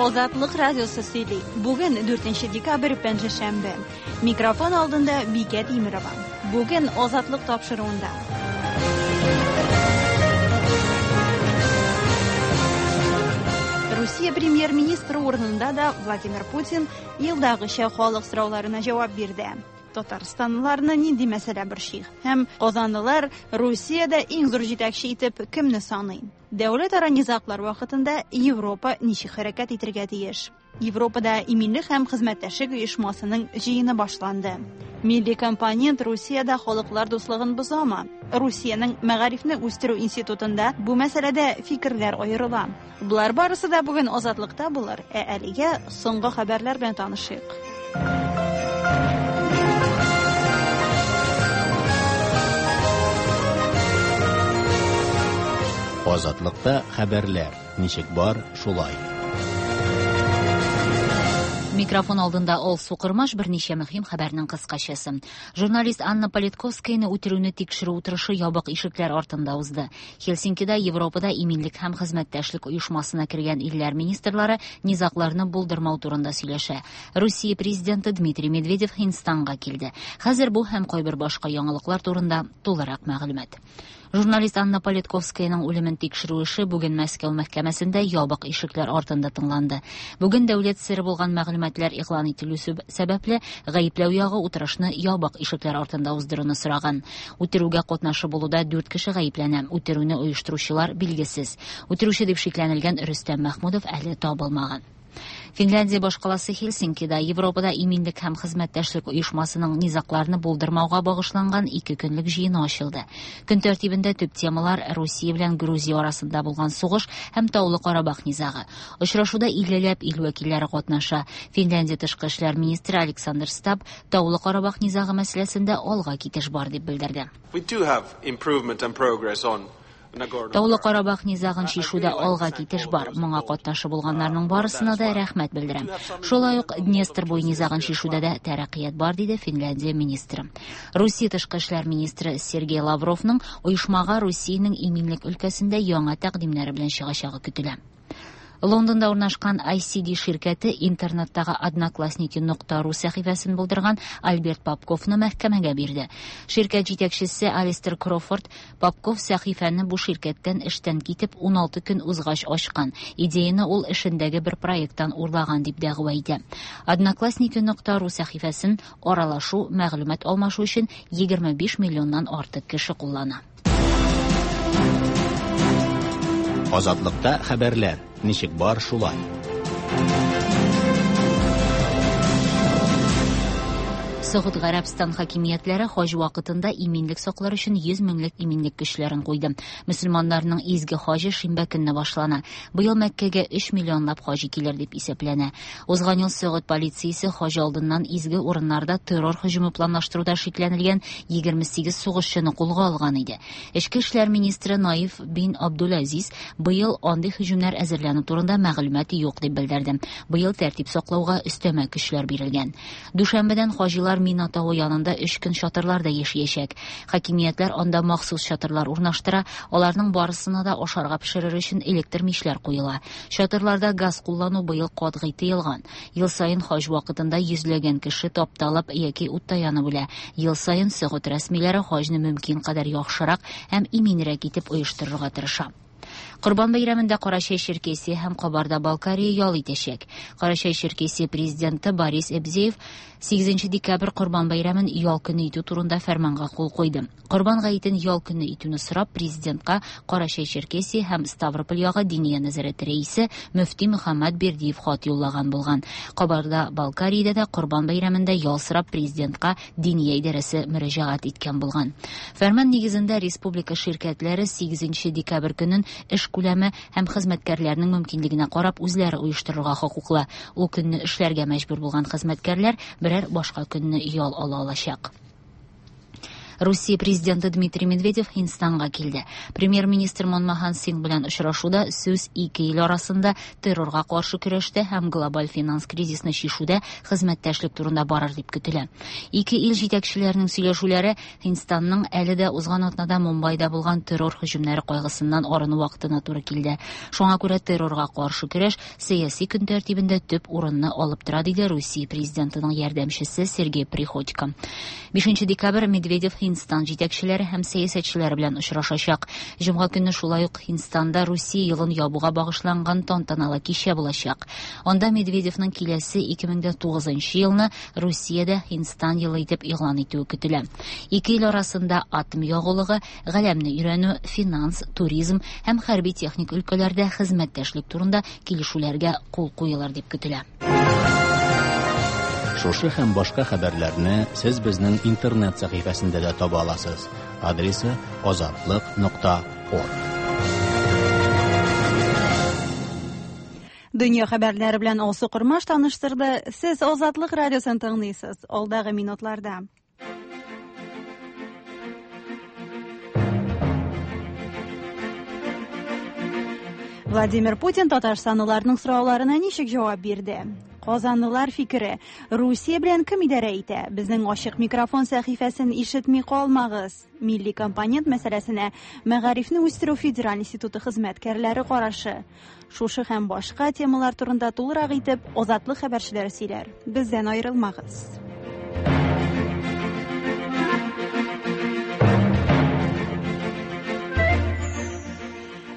Азатлык радиосы сөйли. Бүген 4 декабрь пәнҗешәмбе. Микрофон алдында Бикә Тимерова. Бүген Азатлык тапшыруында. Русия премьер-министры урынында да Владимир Путин елдагыча халык сорауларына җавап бирде. Татарстанлыларны нинди мәсьәлә борчый? Һәм казанлылар Русиядә иң зур җитәкче итеп кемне саный? Дәүләтара низаглар вакытында Европа ничек хәрәкәт итергә тиеш? Европада иминлек һәм хезмәттәшлек оешмасының җыены башланды. Милли компонент Русиядә халыклар дуслыгын бозамы? Русиянең мәгарифне үстерү институтында бу мәсьәләдә фикерләр аерыла. Болар барысы да бүген Азатлыкта булыр, ә әлегә соңгы хәбәрләр белән танышыйк. Азатлыкта хәбәрләр ничек бар, шулай. Микрофон алдында Алсу Кырмаш берничә мөһим хәбәрнең кыскачасы. Журналист Анна Политковскаяны үтерүне тикшерү утырышы ябык ишекләр артында узды. Хельсинкида Европада иминлек һәм хезмәттәшлек оешмасына кергән илләр министрлары низагларны булдырмау турында сөйләшә. Русия президенты Дмитрий Медведев Һиндстанга килде. Хәзер бу һәм кайбер башка яңалыклар турында тулырак мәгълүмат. Журналист Анна Политковскаяның үлемен тикшерү эше бүген Мәскәү мәхкәмәсендә ябык ишекләр артында тыңланды. Бүген дәүләт сере булган мәгълүматлар игълан ителү сәбәпле, гаепләү ягы утырышны ябык ишекләр артында уздыруны сораган. Үтерүгә катнашы булуда 4 кеше гаепләнә. Үтерүне оештыручылар билгесез. Үтерүче дип шикләнелгән Рөстәм Мәхмүдов әле табылмаган. Финляндия башкаласы Хельсинкида Европада иминлек һәм хезмәттәшлек оешмасының низагларны булдырмауга багышланган ике көнлек җыены ачылды. Көн тәртибендә төп темалар Русия белән Грузия арасында булган сугыш һәм Таулы Карабах низагы. Очрашуда 50ләп ил вәкилләре катнаша. Финляндия тышкы эшләр министры Александр Стаб Таулы Карабах низагы мәсьәләсендә алга китеш бар дип белдерде. We do have improvement and progress on Таулы Карабах низагын чишүдә алга китеш бар. Моңа катнашы булганнарның барысына да рәхмәт белдерәм. Шулай ук Днестр буе низагын чишүдә дә тәрәккыят бар, диде Финляндия министры. Русия тышкы эшләр министры Сергей Лавровның оешмага Русиянең иминлек өлкәсендә яңа тәкъдимнәре белән чыгачагы көтелә. Лондонда урнашкан ICD ширкәте интернеттагы одноклассники.ру сәхифәсен булдырган Альберт Попковны мәхкәмәгә бирде. Ширкәт җитәкчесе Алистер Крофорд Попков сәхифәне бу ширкәттән эштән китеп 16 көн узгач ачкан. Идеяны ул эшендәге бер проекттан урлаган дип дәгъва итә. Одноклассники.ру сәхифәсен аралашу, мәгълүмат алмашу өчен 25 миллионнан артык кеше куллана. Азатлыкта хәбәрләр ничек бар, шулай. Согуд Гарәбстан хакимиятләре хаҗ вакытында иминлек саклар өчен 100 меңлек иминлек көчләрен куйды. Мөселманнарның изге хаҗы шимбә көнне башлана. Быел Мәккәгә 3 миллионлап хаҗи килер дип исәпләнә. Узган ел Согуд полициясе хаҗ алдыннан изге урыннарда террор һөҗүме планлаштыруда шикләнелгән 28 сугышчыны кулга алган иде. Эчке эшләр министры Наиф бин Абдулазиз быел андый һөҗүмнәр әзерләнү турында мәгълүмат юк дип белдерде. Быел тәртип саклауга өстәмә көчләр бирелгән. Дүшәмбедән хаҗилар Мина тавы янында 3 көн чатырларда яшәячәк. Хакимиятләр анда махсус чатырлар урнаштыра, аларның барысына да ашарга пешерер өчен электр мичләр куела. Чатырларда газ куллану быел катгый тыелган. Ел саен хаҗ вакытында йөзләгән кеше тапталып яки утта янып үлә. Ел саен Согуд рәсмиләре хаҗны мөмкин кадәр яхшырак һәм иминрәк итеп оештырырга тырыша. Корбан бәйрәмендә Карачай-Черкесия һәм Кабарда-Балкария ял итәчәк. Карачай-Черкесия президенты Борис Эбзеев 8 декабрь Корбан бәйрәмен ял көне итү турында фәрманга кул куйды. Корбан гаетен ял көне итүне сорап президентка Карачай-Черкесия һәм Ставрополь ягы Диния нәзарәте рәисе мөфти Мөхәммәд Бердиев хат юллаган булган. Кабарда-Балкариядә дә Корбан бәйрәмендә ял сорап президентка Диния идарәсе мөрәҗәгать иткән булган. Фәрман нигезендә республика ширкәтләре 8 декабрь көнен эш күләме һәм хезмәткәрләрнең мөмкинлегенә карап үзләре оештырырга хокуклы. Ул көнне эшләргә мәҗбүр булган хезмәткәрләр берәр башка көнне ял ала алачак. Русия президенты Дмитрий Медведев Һиндстанга килде. Премьер-министр Манмохан Сингх белән очрашуда сүз ике ил арасында террорга каршы көрәштә һәм глобаль финанс кризисны чишүдә хезмәттәшлек турында барыр дип көтелә. Ике ил җитәкчеләренең сөйләшүләре Һиндстанның әле дә узган атнада Мумбайда булган террор һөҗүмнәре кайгысыннан арыну вакытына туры килде. Шуңа күрә террорга каршы көрәш сәяси көн тәртибендә төп урынны алып тора, диде Русия президентының ярдәмчесе Сергей Приходько. 5 декабрь Медведев Һиндстан җитәкчеләре һәм сәясәтчеләре белән очрашачак. Җомга көнне шулай ук Һиндстанда Русия елын ябуга багышланган тантаналы кичә булачак. Анда Медведевның киләсе 2009 елны Русиядә Һиндстан елы итеп игълан итүе көтелә. Ике ил арасында атом ягулыгы, галәмне өйрәнү, финанс, туризм һәм хәрби техник өлкәләрдә хезмәттәшлек турында килешүләргә кул куелыр дип көтелә. Шушы һәм башка хәбәрләрне сез безнең интернет сәхифәсендә дә таба аласыз. Адресы azatliq.org. Дөнья хәбәрләре белән Алсу Кормаш таныштырды. Сез Азатлык радиосын тыңлыйсыз. Алдагы минутларда. Владимир Путин татарстанлыларның сорауларына ничек җавап бирде? Казанлылар фикере: Русия белән кем идарә итә? Безнең ачык микрофон сәхифәсен ишетми калмагыз. Милли компонент мәсьәләсенә Мәгарифне үстерү федераль институты хезмәткәрләре карашы. Шушы һәм башка темалар турында тулырак итеп Азатлык хәбәрчеләре сөйләр. Бездән аерылмагыз.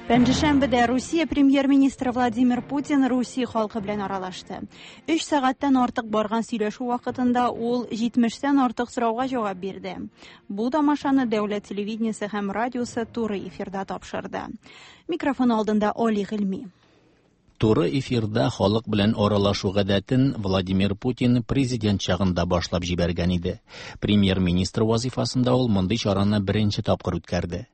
Пәнҗешәмбедә Русия премьер-министры Владимир Путин Русия халкы белән аралашты. 3 сәгатьтән артык барган сөйләшү вакытында ул 70тән артык сорауга җавап бирде. Бу тамашаны дәүләт телевидениесе һәм радиосы туры эфирда тапшырды. Микрофон алдында Оли Гыйльми. Туры эфирда халык белән аралашу гадәтен Владимир Путин президент чагында башлап җибәргән иде. Премьер-министр вазифасында ул мондый чараны беренче тапкыр үткәрде.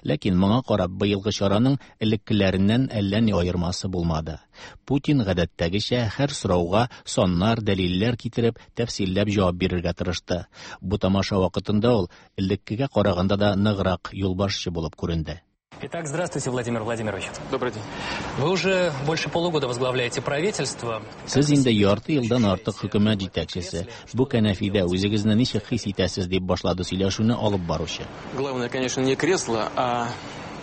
Ләкин моңа карап быелгы чараның элеккеләреннән әллә ни аермасы булмады. Путин гадәттәгечә һәр сорауга саннар, дәлилләр китереп, тәфсилләп җавап бирергә тырышты. Бу тамаша вакытында ул элеккегә караганда да ныграк юлбашчы булып күренде. Итак, здравствуйте, Владимир Владимирович. Добрый день. Вы уже больше полугода возглавляете правительство. Сез инде ярты елдан артык хөкүмәт җитәкчесе. Бу кәнәфидә үзегезне ничек хис итәсез, дип башлады сөйләшүне алып баручы. Главное, конечно, не кресло, а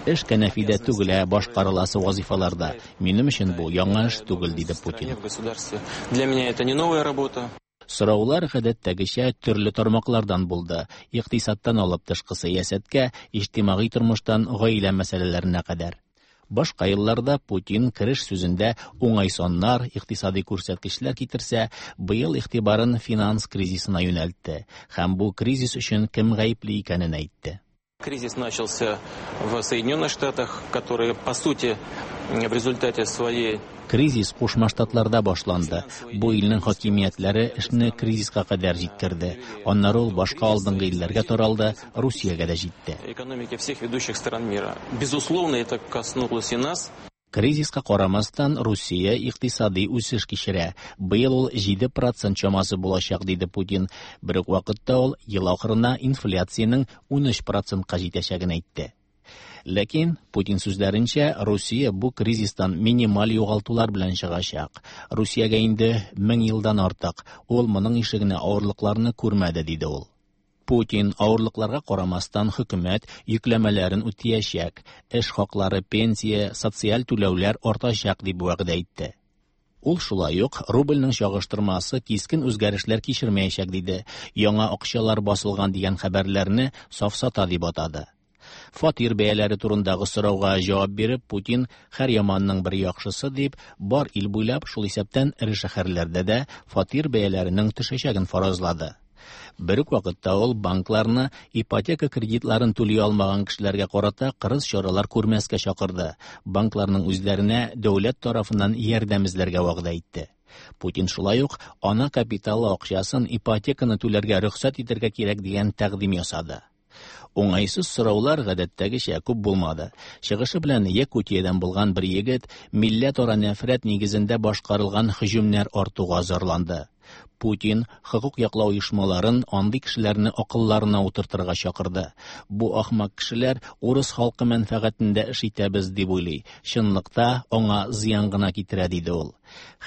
Эш кәнәфидә түгел, ә башкарыласы вазифаларда. Минем өчен бу яңа эш түгел, диде Путин. в государстве. Для меня это не новая работа. Сораулар гадәттәгечә төрле тармаклардан булды. Икътисадтан алып тышкы сәясәткә, иҗтимагый тормыштан гаилә мәсьәләләренә кадәр. Башка елларда Путин кереш сүзендә уңай саннар, икътисади күрсәткечләр китерсә, быел игътибарын финанс кризисына юнәлтте һәм бу кризис өчен кем гаепле икәнен әйтте. Кризис начался в Соединенных Штатах, которые, по сути, в результате своей Кризис Кушма Штатларда башланды. Бу илнең хакимиятләре эшне кризиска кадәр җиткерде. Аннары ул башка алдынгы илләргә таралды, Русиягә дә җитте. экономики всех ведущих стран мира. Безусловно, это коснулось и нас. Кризиска карамастан, Русия икътисади үсеш кичерә. Быел ул 7% чамасы булачак, диде Путин. Бер үк вакытта ул ел ахырына инфляциянең 13%ка җитәчәген әйтте. Ләкин Путин сүзләренчә, Русия бу кризистан минималь югалтулар белән чыгачак. Русиягә инде 1000 елдан артык, ул моның ише генә авырлыкларны күрмәде, диде ул. Путин авырлыкларга карамастан хөкүмәт йөкләмәләрен үтәячәк, эш хаклары, пенсия, социаль түләүләр артачак дип вәгъдә итте. Ул шулай ук рубльнең чагыштырмасы кискен үзгәрешләр кичермәячәк диде. Яңа акчалар басылган дигән хәбәрләрне сафсата дип атады. Фатир бәяләре турындагы сорауга җавап биреп, Путин һәр яманның бер яхшысы дип, бар ил буйлап, шул исәптән эре шәһәрләрдә дә фатир бәяләренең төшәчәген фаразлады. Бер үк вакытта ул банкларны ипотека кредитларын түли алмаган кешеләргә карата кырыс чаралар күрмәскә чакырды. Банкларның үзләренә дәүләт тарафыннан ярдәм эзләргә вәгъдә итте. Путин шулай ук ана капиталы акчасын ипотеканы түләргә рөхсәт итәргә кирәк дигән тәкъдим ясады. Уңайсыз сораулар гадәттәгечә күп булмады. Чыгышы белән Якутиядән булган бер егет милләтара нәфрәт нигезендә башкарылган һөҗүмнәр артуга зарланды. Путин хокук яклау оешмаларын андый кешеләрне акылларына утыртырга чакырды. Бу ахмак кешеләр урыс халкы мәнфәгатендә эш итәбез дип уйлый. Чынлыкта аңа зыян гына китерә, диде ул.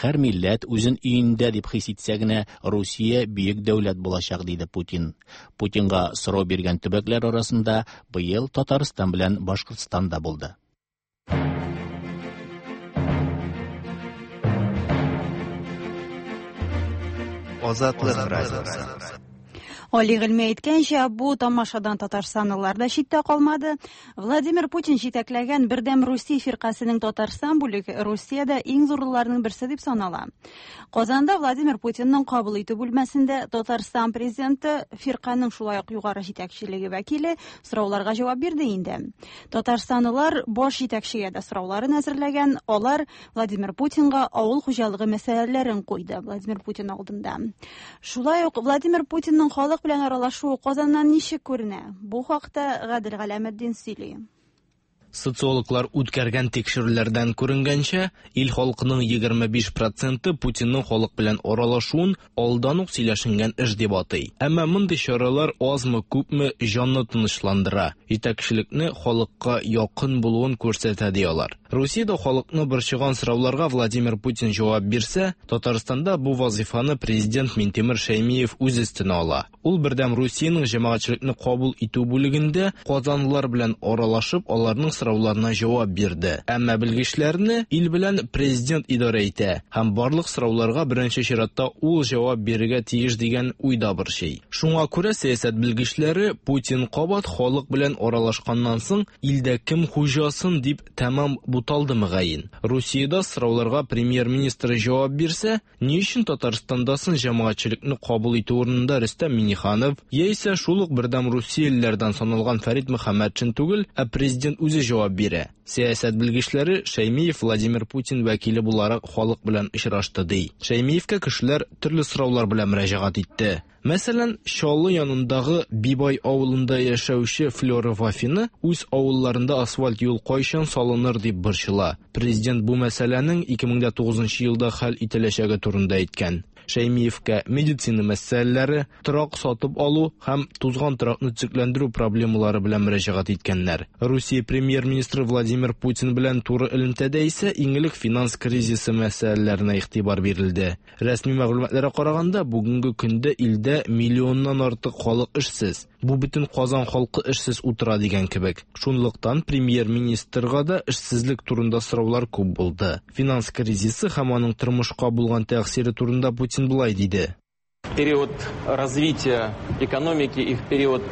Һәр милләт үзен өендә дип хис итсә генә Русия бөек дәүләт булачак, диде Путин. Путинга сорау биргән төбәкләр арасында быел Татарстан белән Башкортстан да булды. Азатлык радиосы. Али Гыйльми әйткәнчә, бу тамашадан татарстанлылар да читтә калмады. Владимир Путин җитәкләгән Бердәм Русия фиркасенең Татарстан бүлеге Русиядә иң зурларының берсе дип санала. Казанда Владимир Путинның кабул итү бүлмәсендә Татарстан президенты, фирканең шулай ук югары җитәкчелеге вәкиле сорауларга җавап бирде инде. Татарстанлылар баш җитәкчегә дә сорауларын әзерләгән, алар Владимир Путинга авыл хуҗалыгы мәсьәләләрен куйды Владимир Путин алдында. Шулай ук Владимир Путинның халык белән аралашуы Казаннан ничек күренә? Бу хакта Гадел Галәметдин сөйли. Социологлар үткәргән тикшерүләрдән күренгәнчә, ил халкының 25 проценты Путинның халык белән аралашуын алдан ук сөйләшенгән эш дип атый. Әмма мондый чаралар азмы-күпме җанны тынычландыра, җитәкчелекне халыкка якын булуын күрсәтә ди алар. Русиядә халыкны борчыган сорауларга Владимир Путин җавап бирсә, Татарстанда бу вазифаны президент Минтимер Шәймиев үз өстенә ала. Ул Бердәм Русиянең җәмәгатьчелекне кабул итү бүлегендә казанлылар белән аралашып, аларның сорауларына җавап бирде. Әмма белгечләрне ил белән президент идарә итә һәм барлык сорауларга беренче чиратта ул җавап бирергә тиеш дигән уй да борчый. Шуңа күрә сәясәт белгечләре Путин кабат халык белән аралашканнан соң илдә кем хуҗасын дип тәмам буталды мөгаен. Русиядә сорауларга премьер-министр җавап бирсә, ни өчен Татарстанда соң җәмәгатьчелекне кабул итү урынында Рөстәм Миңнеханов, яисә шул ук Бердәм Русиялеләрдән саналган Фәрит Мөхәммәтшин түгел, ә президент үзе җавап бирә? Сәясәт белгечләре Шәймиев Владимир Путин вәкиле буларак халык белән очрашты ди. Шәймиевкә кешеләр төрле сораулар белән мөрәҗәгать итте. Мәсәлән, Чаллы янындагы Бибай авылында яшәүче Флера Вафина үз авылларында асфальт юл кайчан салыныр дип борчыла. Президент бу мәсьәләнең 2009 елда хәл ителәчәге турында әйткән. Шәймиевкә медицина мәсьәләләре, торак сатып алу һәм тузган торакны төзекләндерү проблемалары белән мөрәҗәгать иткәннәр. Русия премьер-министры Владимир Путин белән туры элемтәдә исә иң элек финанс кризисы мәсьәләләренә игътибар бирелде. Рәсми мәгълүматларга караганда, бүгенге көндә илдә миллионнан артык халык эшсез. Бу бөтен Казан халкы эшсез утыра дигән кебек. Шунлыктан премьер-министрга да эшсезлек турында сораулар күп булды. Финанс кризисы һәм аның тормышка булган тәэсире турында Путин болай диде. В период развития экономики и в период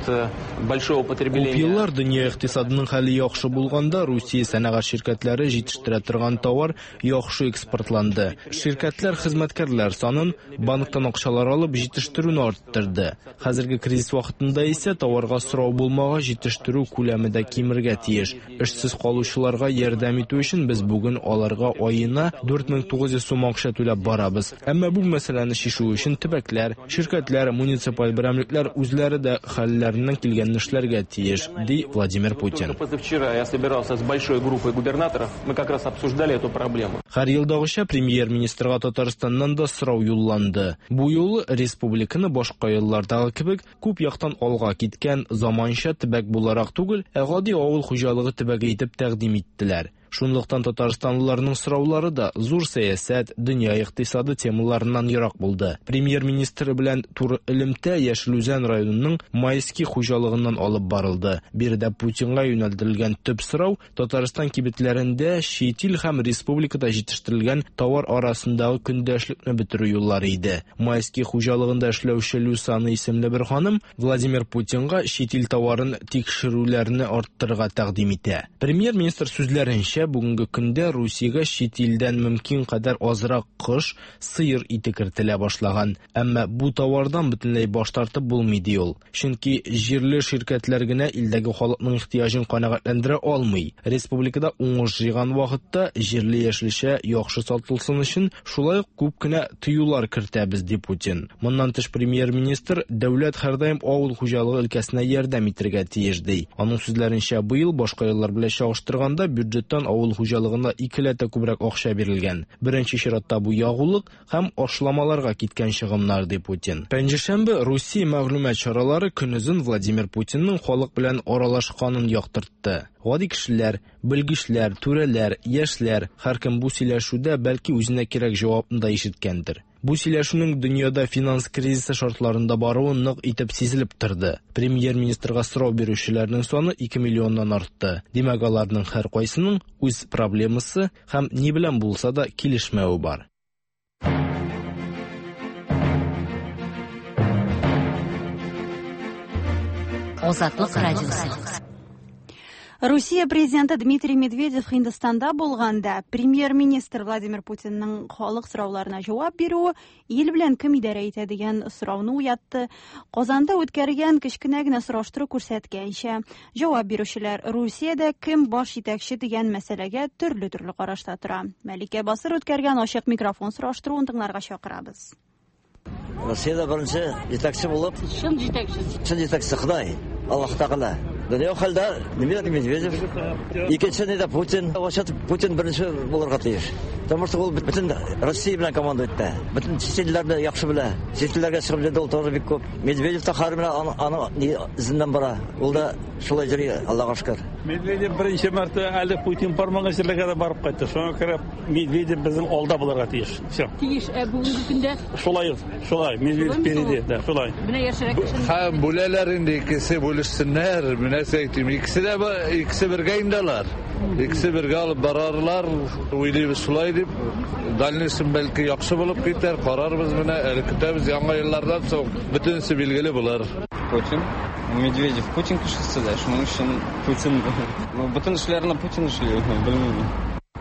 большого Күп потребления еллар дөнья икътисадының хәле яхшы булганда Русия сәнәгать ширкәтләре җитештерә торган товар яхшы экспортланды. Ширкәтләр хезмәткәрләр санын, банктан акчалар алып җитештерүне арттырды. Хәзерге кризис вакытында исә товарга сорау булмагач җитештерү күләме дә кимергә тиеш. Эшсез калучыларга ярдәм итү өчен без бүген аларга аена 4900 сум акча түләп барабыз. Әмма бу мәсьәләне чишү өчен төбәкләр, ширкәтләр, муниципаль берәмлекләр үзләре дә хәлләреннән килгәнне эшләргә тиеш, ди Владимир Путин. Только позавчера я собирался с большой группой губернаторов, мы как раз обсуждали эту проблему. Һәр елдагыча премьер-министрга Татарстаннан да сорау юлланды. Бу юлы республиканы башка еллардагы кебек күп яктан алга киткән заманча төбәк буларак түгел, ә гади авыл хуҗалыгы төбәге итеп тәкъдим иттеләр. Шунлыктан татарстанлыларның сораулары да зур сәясәт, дөнья икътисады темаларыннан ерак булды. Премьер-министр белән туры элемтә Яшел Үзән районының Майский хуҗалыгыннан алып барылды. Биредә Путинга юнәлдерелгән төп сорау Татарстан кибетләрендә чит ил һәм республикада җитештерелгән товар арасындагы көндәшлекне бетерү юллары иде. Майский хуҗалыгында эшләүче Люсана исемле бер ханым Владимир Путинга чит ил товарын тикшерүләрне арттырырга тәкъдим итә. Премьер-министр сүзләренчә, бүгенге көндә Русиягә чит илдән мөмкин кадәр азрак кош, сыер ите кертелә башлаган. Әмма бу товардан бөтенләй баш тартып булмый ди ул. Чөнки җирле ширкәтләр генә илдәге халыкның ихтыяҗын канәгатьләндерә алмый. Республикада уңыш җыйган вакытта җирле яшелчә яхшы сатылсын өчен шулай ук күп кенә тыюлар кертәбез, ди Путин. Моннан тыш премьер-министр дәүләт һәрдаим авыл хуҗалыгы өлкәсенә ярдәм итәргә тиеш, ди. Аның сүзләренчә, быел башка еллар белән чагыштырганда бюджеттан авыл хуҗалыгына икеләтә күбрәк акча бирелгән. Беренче чиратта бу ягулык һәм ашламаларга киткән чыгымнар, ди Путин. Пәнҗешәмбе Русия мәгълүмат чаралары көнозын Владимир Путинның халык белән аралашканын яктыртты. Гади кешеләр, белгечләр, түрәләр, яшьләр һәркем бу сөйләшүдә бәлки үзенә кирәк җавапны да ишеткәндер. Бу сөйләшүнең дөньяда финанс кризисы шартларында баруы нык итеп сизелеп торды. Премьер-министрга сорау бирүчеләрнең саны 2 миллионнан артты. Димәк, аларның һәркайсының үз проблемасы һәм ни белән булса да килешмәве бар. Азатлык радиосы. Русия президенты Дмитрий Медведев Һиндстанда булганда премьер-министр Владимир Путинның халык сорауларына җавап бирүе ил белән кем идарә итә дигән сорауны уятты. Казанда үткәргән кечкенә генә сораштыру күрсәткәнчә, җавап бирүчеләр Русиядә кем баш җитәкче дигән мәсьәләгә төрле-төрле карашта тора. Мәликә Басыр үткәргән ачык микрофон сораштыруын тыңларга чакырабыз. Россиядә беренче җитәкче булып, чын җитәкче. Чын җитәкче Ходай, Аллаһ Тәгалә. Дөнья хәлдә Дмитрий Медведев, икенче нидә Путин, вообще Путин беренче булырга тиеш. Потому что ул бөтен Россия белән команда итә. Бөтен чит илләрне яхшы белә. Чит илләргә чыгып йөрде ул тоже бик күп. Медведев та хәзер менә аның изеннән бара. Ул да шулай йөри, Аллага шөкер. Медведев беренче мәртә әле Путин бармаган җирләргә дә барып кайтты. Шуңа күрә Медведев безнең алда булырга тиеш. Все. Тиеш, ә бүгенге көндә? Шулай, шулай, Медведев впереди, да, шулай. Менә яшьрәк кешене. Һәм бүләләр инде, икесе бүлешсеннәр, менә әйтим, икесе дә икесе бергә инде алар. Икесе бергә алып барарлар, уйлыйбыз шулай дип. Дальнейшем бәлки яхшы булып китәр, карарбыз менә, әле көтәбез яңа еллардан соң бөтенесе билгеле булыр. Путин. Медведев Путин кешесе дә, шуның өчен Путин. Ну, бөтен эшләрне Путин эшли, белмим.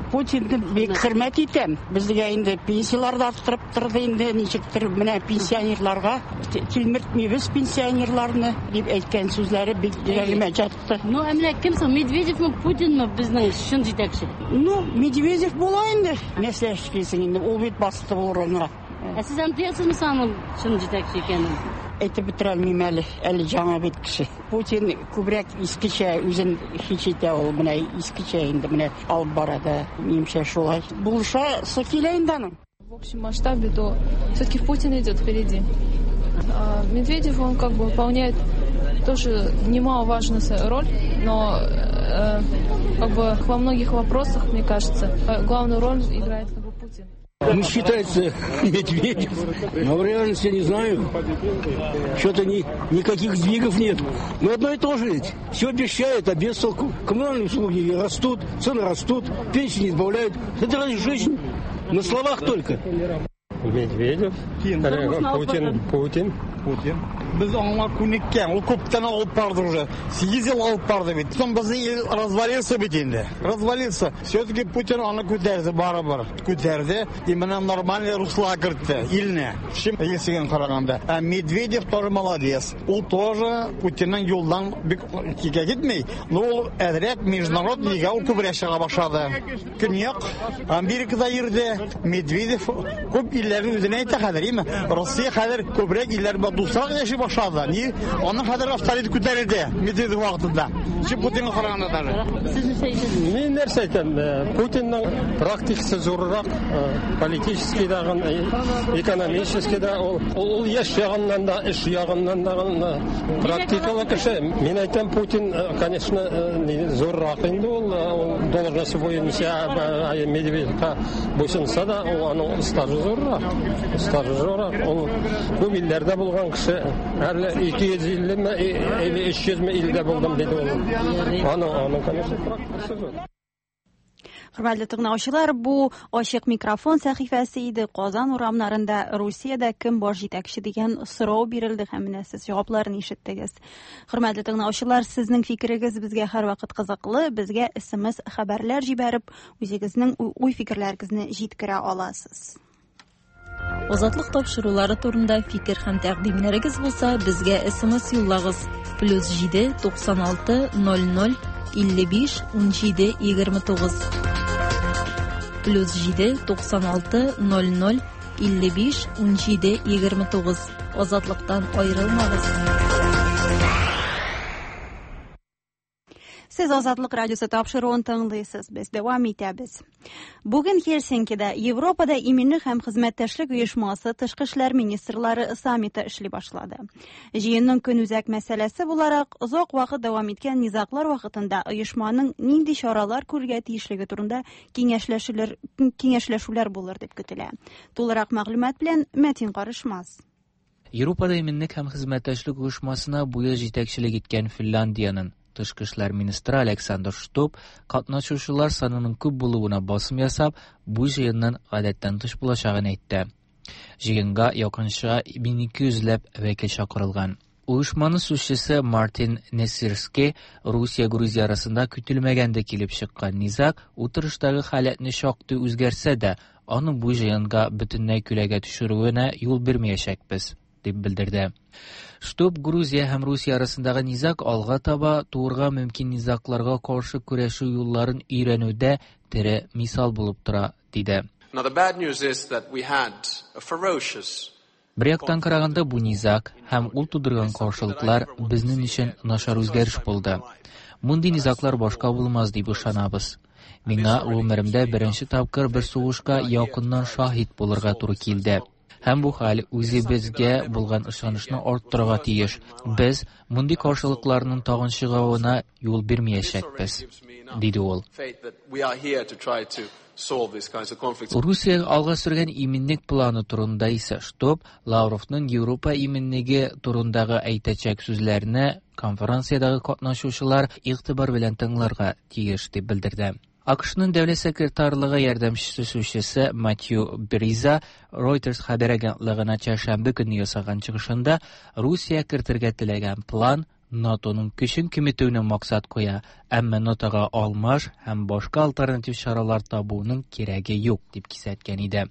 Путинны бик хөрмәт итәм. Безгә инде пенсияләр дә арттырып торды инде, ничектер менә пенсионерларга тилмертмибез пенсионерларны дип әйткән сүзләре бик йөрәгемә ятты. Ну, ә менә кем соң, Медведевме, Путинмы безнең чын җитәкче? Ну, Медведев була инде. Нәрсә эшлисең инде, ул бит басты ул урынга. Ә сез аны тоясызмы соң аның чын җитәкче икәнен? Әйтеп бетерә алмыйм әле, әле яңа бит кеше. Путин күбрәк искечә үзен хис итә ул, менә искечә инде менә алып бара да, минемчә шулай. Булышасы килә инде аның. В общем масштабе, то все-таки Путин идет впереди. А Медведев, он как бы выполняет тоже немаловажную роль, но как бы во многих вопросах, мне кажется, главную роль играет как бы Путин. Ну, считается Медведев, но в реальности я не знаю. Что-то никаких сдвигов нет. Но одно и то же ведь. Все обещают, а без толку. Коммунальные услуги растут, цены растут, пенсии не сбавляют. Это разве жизнь? На словах только. Медведев, Путин, Путин. Путин. Без аңа күнеккән, ул күптән алып барды уже. 8 ел алып барды бит. Соң безнең ил развалился бит инде. Развалился. Все-таки Путин аны күтәрде барыбер. Күтәрде. И менә нормальный русло кертте илне. Чем элгесеген караганда. А Медведев тоже молодец. Ул тоже Путинның юлдан бик кигә китми. Но ул әзрәк международный ул күбрәк чыга башлады. Көньяк Америкада йөрде. Медведев күп илләрнең үзенә әйтә хәзер, име? Россия хәзер күбрәк илләр белән дуслар яши башлады. Ни? Аның хәзер авторитет күтәрелде Медведев вакытында. Чем Путинга караганда даже. Сез нәрсә әйтәсез? Мин нәрсә әйтәм? Путинның практикасы зуррак, политический дагын, экономический да, ул яшь ягыннан да, эш ягыннан да практикалы кеше. Мин әйтәм, Путин, конечно, зуррак инде ул, должность буенча Медведевка буйсынса да, ул аның стажы зуррак. Стажы зуррак. Ул күп илләрдә булган кеше. Әле 250 ме, или 300 ме илдә булдым диде ул. Аның, конечно, практикасы зур. Хөрмәтле тыңлаучылар, бу ачык микрофон сәхифәсе иде. Казан урамнарында Русиядә кем баш җитәкче дигән сорау бирелде һәм менә сез җавапларын ишеттегез. Хөрмәтле тыңлаучылар, сезнең фикерегез безгә һәрвакыт кызыклы. Безгә SMS хәбәрләр җибәреп, үзегезнең уй-фикерләрегезне җиткерә аласыз. Азатлык тапшырулары турында фикер һәм тәкъдимнәрегез булса, безгә SMS юллагыз. +7 96 00 55 17 29. +7 96 00 55 17 29. Азатлыктан аерылмагыз. Сез Азатлык радиосы тапшыруын тыңлыйсыз. Без дәвам итәбез. Бүген Хельсинкида Европада иминлек һәм хезмәттәшлек оешмасы тышкы эшләр министрлары саммиты эшли башлады. Җыенның көнүзәк мәсьәләсе буларак, озак вакыт дәвам иткән низаглар вакытында оешманың нинди чаралар күрергә тиешлеге турында киңәшләшүләр киңәшләшүләр булыр дип көтелә. Тулырак мәгълүмат белән Мәтин Карышмас. Европада иминлек һәм хезмәттәшлек оешмасына бу ел җитәкчелек иткән Финляндиянең тышкы эшләр министры Александр Штуб катнашучылар санының күп булуына басым ясап, бу җыенның гадәттән тыш булачагын әйтте. Җыенга якынча 1200 ләп вәкил чакырылган. Оешманың сүзчесе Мартин Несирский Русия-Грузия арасында көтелмәгәндә килеп чыккан низаг утырыштагы халәтне шактый үзгәрсә дә, аның бу җыенга бөтенләй күләгә төшерүенә юл бирмәячәкбез, дип белдерде. Штуб Грузия һәм Русия арасындагы низаг алга таба туырга мөмкин низагларга каршы көрәшү юлларын өйрәнүдә тере мисал булып тора, диде. Now the bad news is that we had a ferocious Бер яктан караганда бу низаг һәм ул тудырган каршылыклар безнең өчен начар үзгәреш булды. Мондый низаглар башка булмас дип ышанабыз. Миңа гомеремдә беренче тапкыр бер сугышка якыннан шаһит булырга туры килде. Һәм бу хәл үзебезгә булган ышанычны арттырырга тиеш. Без мондый каршылыкларның тагын чыгуына юл бирмәячәкбез, диде ул. Русия алга сөргән иминлек планы турында исә Штуб Лавровның Европа иминлеге турындагы әйтәчәк сүзләрне конференциядәге катнашучылар игътибар белән тыңларга тиеш дип белдерде. АКШның дәүләт секретарлыгы ярдәмчесе сүзчесе Матью Бриза Reuters хәбәр агентлыгына чәршәмбе көнне ясаган чыгышында Русия кертергә теләгән план НАТОның көчен киметүне максат куя, әмма НАТОга алмаш һәм башка альтернатив чаралар табуның кирәге юк дип кисәткән иде.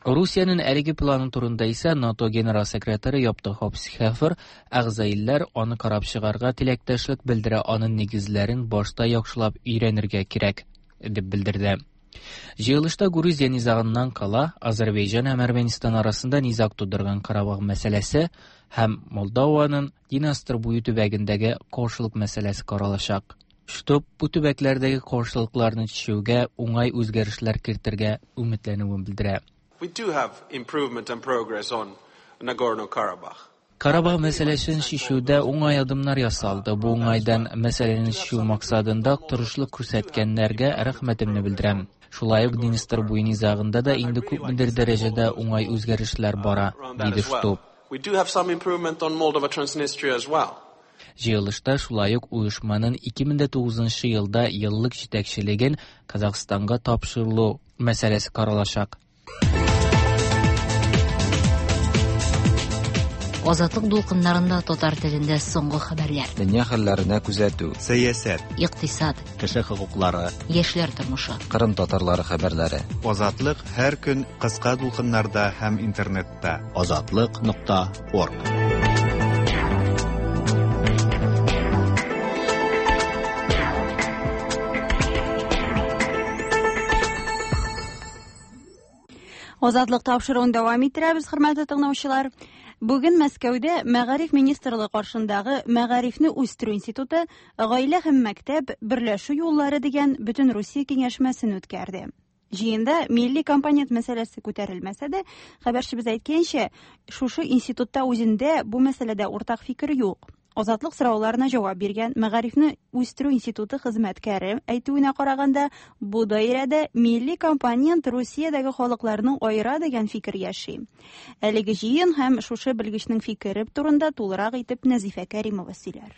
Русиянең әлеге планы турында исә НАТО генерал секретаре Япты Хопсхефер әгъза илләр аны карап чыгарга теләктәшлек белдерә, аның нигезләрен башта яхшылап өйрәнергә кирәк, дип белдерде. Җыелышта Грузия низагыннан кала Азербайҗан һәм Әрмәнстан арасында низаг тудырган Карабах мәсьәләсе һәм Молдованың Днестр буе төбәгендәге каршылык мәсьәләсе каралачак. Штуб бу төбәкләрдәге каршылыкларны чишүгә уңай үзгәрешләр кертергә өметләнүен белдерә. We do have improvement and progress on Nagorno-Karabakh. Карабах мәсьәләсен чишүдә уңай адымнар ясалды. Бу уңайдан мәсьәләне чишү максатында тырышлык күрсәткәннәргә рәхмәтемне белдерәм. Шулай ук Днестр буе низагында да инде күпмедер дәрәҗәдә уңай үзгәрешләр бара, диде Штуб. We do have some improvement on Moldova Transnistria as well. Җыелышта шулай ук оешманың 2009 елда еллык җитәкчелеген Казахстанга тапшырылу мәсьәләсе каралачак. Азатлык дулкыннарында татар телендә соңгы хәбәрләр. Дөнья хәлләренә күзәтү. Сәясәт. Икътисад. Кеше хокуклары. Яшьләр тормышы. Кырым татарлары хәбәрләре. Азатлык һәр көн кыска дулкыннарда һәм интернетта. Азатлык.орг. Азатлык тапшыруын дәвам иттерәбез, хөрмәтле тыңлаучылар. Бүген Мәскәүдә Мәгариф министрлыгы каршындагы Мәгарифне үстерү институты Гаилә һәм мәктәп берләшү юллары дигән бөтен Русия киңәшмәсен үткәрде. Җыенда милли компонент мәсьәләсе күтәрелмәсә дә, хәбәрчебез әйткәнчә, шушы институтта үзендә бу мәсьәләдә уртак фикер юк. Азатлык сорауларына җавап биргән Мәгарифне үстерү институты хезмәткәре әйтүенә караганда, бу даирәдә милли компонент Русиядәге халыкларны аера дигән фикер яши. Әлеге җыен һәм шушы белгечнең фикере турында тулырак итеп Нәзифә Кәримова сөйләр.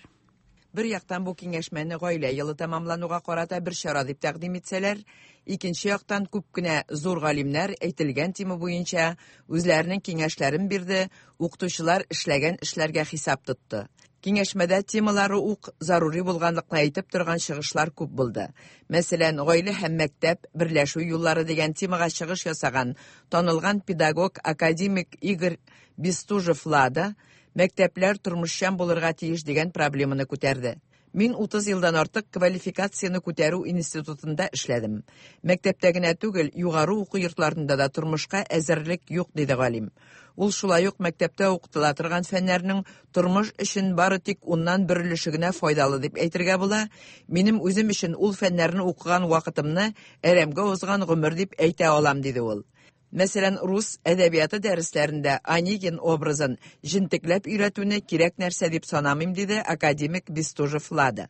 Бер яктан бу киңәшмәне гаилә елы тәмамлануга карата бер чара дип тәкъдим итсәләр, икенче яктан күп кенә зур галимнәр әйтелгән тема буенча үзләренең киңәшләрен бирде, укытучылар эшләгән эшләргә хисап тотты. Киңәшмәдә темалары ук зарури булганлыкны әйтеп торган чыгышлар күп булды. Мәсәлән, гаилә һәм мәктәп берләшү юллары дигән темага чыгыш ясаган танылган педагог академик Игорь Бестужев-Лада мәктәпләр тормышчан булырга тиеш дигән проблеманы күтәрде. Мин 30 елдан артык квалификацияне күтәрү институтында эшләдем. Мәктәптә генә түгел, югары уку йортларында да тормышка әзерлек юк, диде галим. Ул шулай ук мәктәптә укытыла торган фәннәрнең тормыш өчен бары тик уннан бер өлеше генә файдалы дип әйтергә була. Минем үзем өчен ул фәннәрне укыган вакытымны әрәмгә узган гомер дип әйтә алам, диде ул. Мәсәлән, рус әдәбияты дәресләрендә Онегин образын җентекләп өйрәтүне кирәк нәрсә дип санамыйм, диде академик Бестужев-Лада.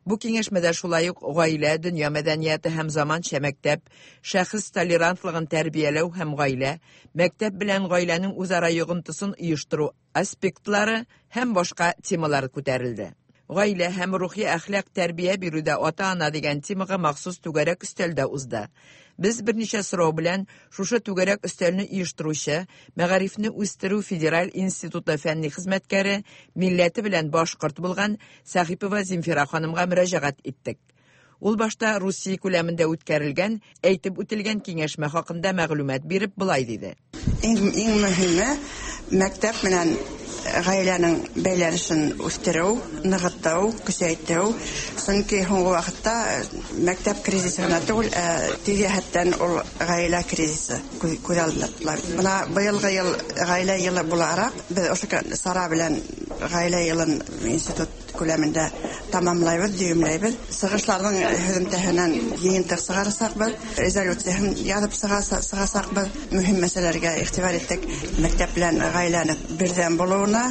Бу киңәшмәдә шулай ук гаилә, дөнья мәдәнияте һәм заманча мәктәп, шәхес толерантлыгын тәрбияләү һәм гаилә, мәктәп белән гаиләнең үзара йогынтысын оештыру аспектлары һәм башка темалар күтәрелде. Гаилә һәм рухи әхлак тәрбия бирүдә ата-ана дигән темага махсус түгәрәк өстәл дә узды. Без берничә сорау белән шушы түгәрәк өстәлне оештыручы, Мәгарифне үстерү федераль институты фәнни хезмәткәре, милләте белән башкорт булган Сәхипова Земфира ханымга мөрәҗәгать иттек. Ул башта Русия күләмендә үткәрелгән, әйтеп үтелгән киңәшмә хакында мәгълүмат биреп болай диде. Иң, иң мөһиме мәктәп белән гаиләнең бәйләнешен үстерү, ныгыту, көчәйтү. Чөнки соңгы вакытта мәктәп кризисы гына түгел, ә тиз җәһәттән ул гаилә кризисы күз алдында тотыла. Менә быелгы ел гаилә елы буларак, без ошо чара белән гаилә елын институт күләмендә тәмамлайбыз, дөйемләйбез. Чыгышларның һөҙөмтәһенән йыйынтыҡ сығарасаҡбыҙ, резолюцияһын яҙып сығасаҡбыҙ. Мөһим мәсьәләләргә иғтибар иттек. Мәктәп белән ғаиләнең берҙәм булыуына,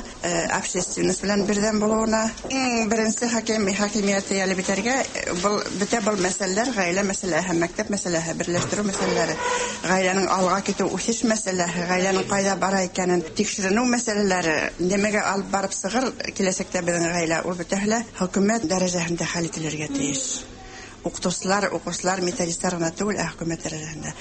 общественность белән берҙәм булыуына. Иң беренсе хакимиәтте йәлеп итәргә, был бөтә был мәсьәләләр ғаилә мәсьәләһе һәм мәктәп мәсьәләһе, берләштереү мәсьәләләре, ғаиләнең алға китеү үҫеш мәсьәләһе, ғаиләнең ҡайҙа бара икәнен тикшеренеү мәсьәләләре, нимәгә алып барып сығыр киләсәктә беҙҙең ғаилә, ул бөтәһе лә хөкүмәт дәрәжәһендә хәл ителергә тейеш. Уҡытыусылар, уҡыусылар, методисттар ғына түгел, ә хөкүмәт дәрәжәһендә.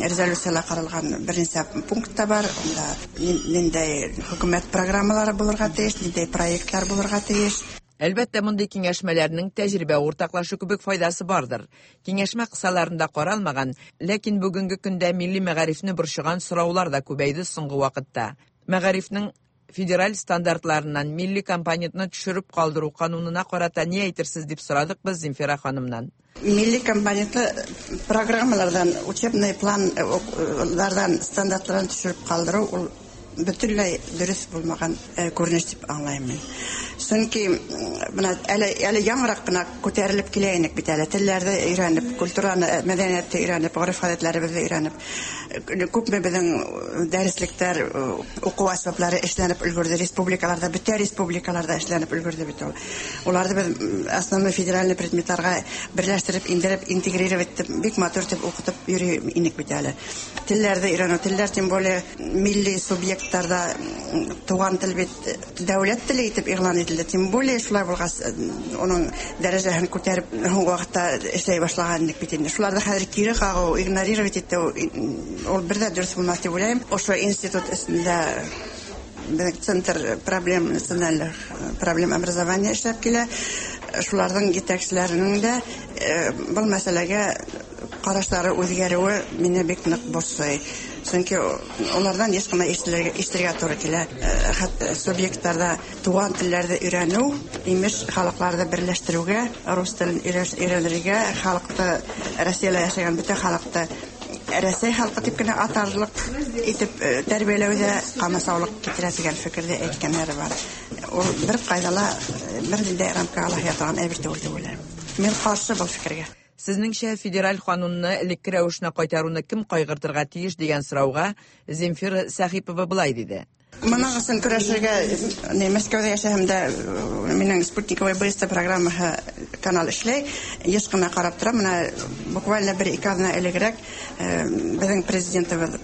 Резолюцияла ҡаралған бер нисә пункт та бар. Унда ниндәй хөкүмәт программалары булырға тейеш, ниндәй проектлар булырға тейеш. Әлбәттә, мондый киңәшмәләрнең тәҗрибә уртаклашу кебек файдасы бардыр. Киңәшмә кысаларында каралмаган, ләкин бүгенге көндә милли мәгарифне борчыган сораулар да күбәйде соңгы вакытта. Мәгарифнең федераль стандартларыннан милли компонентны төшереп калдыру канунына карата ни әйтерсез дип сорадык без Земфира ханымнан. Милли компонентлы программалардан, учебный планнардан, стандартлардан төшереп калдыру ул бөтенләй дөрес булмаган күренеш дип аңлыйм мин. Чөнки менә әле яңарак кына күтәрелеп килә инек бит әле. Телләрне өйрәнеп, культураны, мәдәниятне өйрәнеп, гореф-гадәтләребезне өйрәнеп, күпме безнең дәреслектәр, уку әсбаплары эшләнеп өлгерде республикаларда, бөтә республикаларда эшләнеп өлгерде бит ул. Уларны без основной федеральный предметларга берләштереп, индереп, интегрировать итеп, бик матур итеп укытып йөри инек бит әле. Телләрне өйрәнү, телләр тем более милли субъектларда туган тел бит дәүләт теле итеп игълан ителде. Тем более шулай булгач, уның дәрәҗәһен күтәреп һуңгы вакытта эшләй башлаган идек бит инде. Шуларны хәзер кире кагу, игнорировать итү ул бер дә дөрес булмас дип уйлыйм. Ошо институт өстендә безнең центр проблем национальных проблем образования эшләп килә. Шуларның җитәкчеләренең дә был мәсьәләгә карашлары үзгәрүе мине бик нык борчый. Чөнки улардан еш кына ишетергә туры килә. Хәтта субъектларда туган телләрне өйрәнү, имеш, халыкларны берләштерүгә, рус телен өйрәнергә, халыкты Россиядә яшәгән бөтен халыкты Рәсәй халкы дип кенә атарлык итеп тәрбияләүдә камасаулык китерә дигән фикердә әйткәннәре бар. Ул бер кайда ла бер ниндәй рамкага ла ятаган әйбер түгел дип уйлыйм. Мин каршы был фикергә. Сезнеңчә, федераль канунны элекке рәвешенә кайтаруны кем кайгыртырга тиеш дигән сорауга Земфира Сәхипова болай диде. Моның өчен көрәшергә, не, Мәскәүдә яшәһәм дә, минең спутниковый быстро программаһы канал эшләй. Еш кына карап торам. Менә буквально бер-ике аҙна элегерәк беҙҙең президентыбыҙ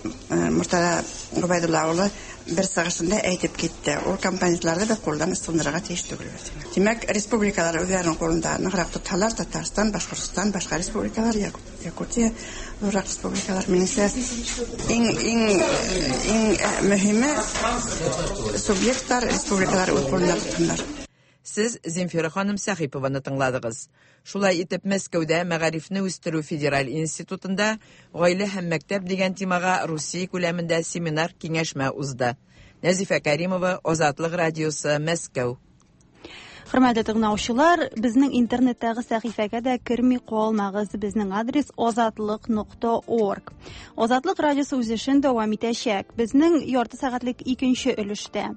Муртаза Гобәйдулла улы бер сығышында әйтеп китте. Ул компонентларны беҙ ҡулдан ысҡындырырға тейеш түгелбеҙ. Тимәк, республикалар үҙҙәренең ҡулында нығыраҡ тотһалар, Татарстан, Башҡортостан, башҡа республикалар, Якутия, ҙурыраҡ республикалар, минеңсә, иң мөһиме субъекттар, республикалар үҙ ҡулында тотһондар. Сез Земфира ханым Сәхипованы тыңладыгыз. Шулай итеп, Мәскәүдә Мәгарифне үстерү федераль институтында гаилә һәм мәктәп дигән темага Русия күләмендә семинар киңәшмә узды. Нәзифә Кәримова, Азатлык радиосы, Мәскәү. Хөрмәтле тыңлаучылар, безнең интернеттагы сәхифәгә дә керми калмагыз. Безнең адрес azatliq.org. Азатлык радиосы үз эшен дәвам итәчәк. Безнең ярты сәгатьлек икенче өлештә.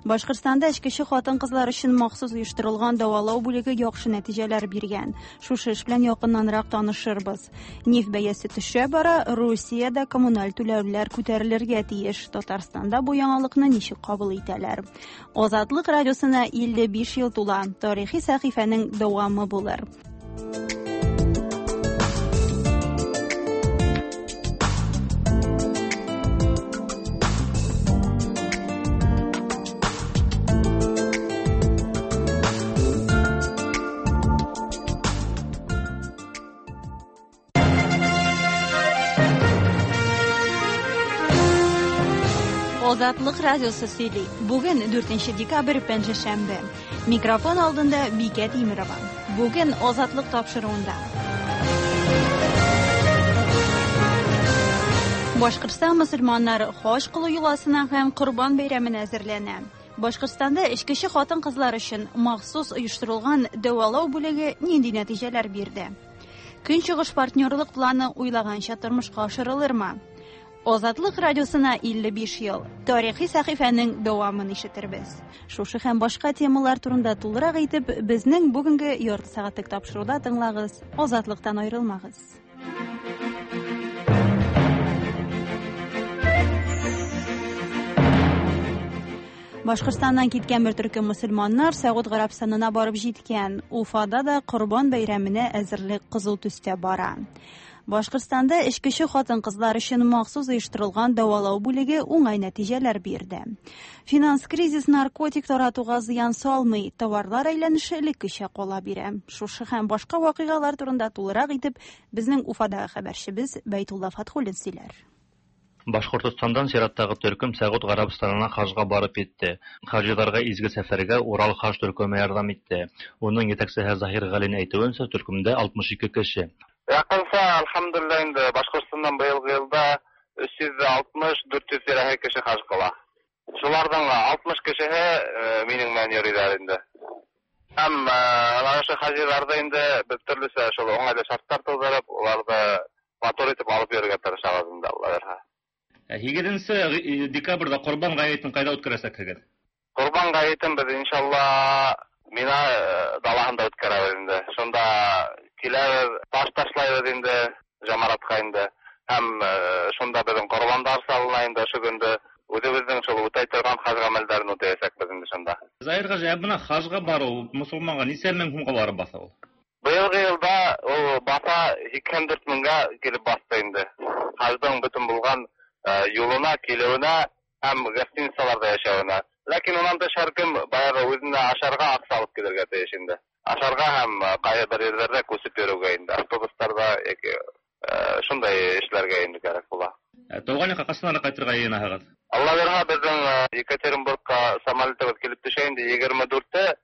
Башкортстанда эчкече хатын-кызлар өчен махсус оештырылган дәвалау бүлеге яхшы нәтиҗәләр биргән. Шушы эш белән якыннанрак танышырбыз. Нефть бәясе төшә бара, Русиядә коммуналь түләүләр күтәрелергә тиеш. Татарстанда бу яңалыкны ничек кабул итәләр? Азатлык радиосына 55 ел тула. Тарихи сәхифәнең дәвамы булыр. Азатлык радиосы сөйли. Бүген 4 декабрь пәнҗешәмбе. Микрофон алдында Бикә Тимерова. Бүген Азатлык тапшыруында. Башкортстан мөселманнары хаҗ кылу йоласына һәм Корбан бәйрәменә әзерләнә. Башкортстанда эчкече хатын-кызлар өчен махсус оештырылган дәвалау бүлеге нинди нәтиҗәләр бирде? Көнчыгыш партнерлык планы уйлаганча тормышка ашырылырмы? Азатлык радиосына 55 ел. Тарихи сәхифәнең дәвамын ишетербез. Шушы һәм башка темалар турында тулырак итеп, безнең бүгенге ярты сәгатьлек тапшыруда тыңлагыз. Азатлыктан аерылмагыз. Башкортстаннан киткән бер төркем мөселманнар Сәгуд Гарәбстанына барып җиткән. Уфада да Корбан бәйрәменә әзерлек кызу төстә бара. Башкортстанда эчкече хатын-кызлар өчен махсус оештырылган дәвалау бүлеге уңай нәтиҗәләр бирде. Финанс кризис наркотик таратуга зыян салмый, товарлар әйләнеше элеккечә кала бирә. Шушы һәм башка вакыйгалар турында тулырак итеп безнең Уфадагы хәбәрчебез Бәйтулла Фатхуллин сөйләр. Башкортостандан чираттагы төркем Сәгуд Гарәбстанына хаҗга барып җитте. Хаҗиларга изге сәфәргә Урал хаҗ төркеме ярдәм итте. Уның җитәкчесе Заһир Галин әйтүенчә, төркемдә 62 кеше. Якынча, әлхәмдүлилләһ, инде Башкортстаннан быелгы елда 360-400 тирәһе кеше хаҗ кыла. Шуларның 60 кешеһе минең белән йөриләр инде. Һәм ана ошо хаҗиларда инде без төрлечә шул уңайлы шартлар тудырып, уларны матур итеп алып йөрергә тырышабыз инде, Алла бирһә. 8 декабрьдә Корбан гаетен кайда үткәрәчәкһегез? Корбан гаетен без иншалла Мина далаһында үткәрәбез инде. Шунда киләбез, таш ташлайбыз инде җамаратка инде. Һәм шунда безнең корбандар салына инде ошо көндө. Үзебезнең шул үтәй торган хаҗ гамәлләрен үтәячәкбез инде шунда. Заһир хаҗи, ә менә хаҗга бару мусулманга ничә мең сумга барып баса ул? Быелгы елда ул баса 84 меңгә килеп басты инде. Хаҗның бөтен булган юлына, килүенә һәм гостиницаларда яшәвенә. Ләкин уннан тыш һәркем баягы үзенә ашарга акча алып килергә тиеш инде. Ашарга һәм кайсы бер җирләрдә күчеп йөрүгә инде, автобусларда яки шундай эшләргә инде кирәк була. Туган якка кайчан кайтырга җыенаһыгыз? Алла бирһә, безнең Екатеринбургка самолетыбыз килеп төшә инде 24-те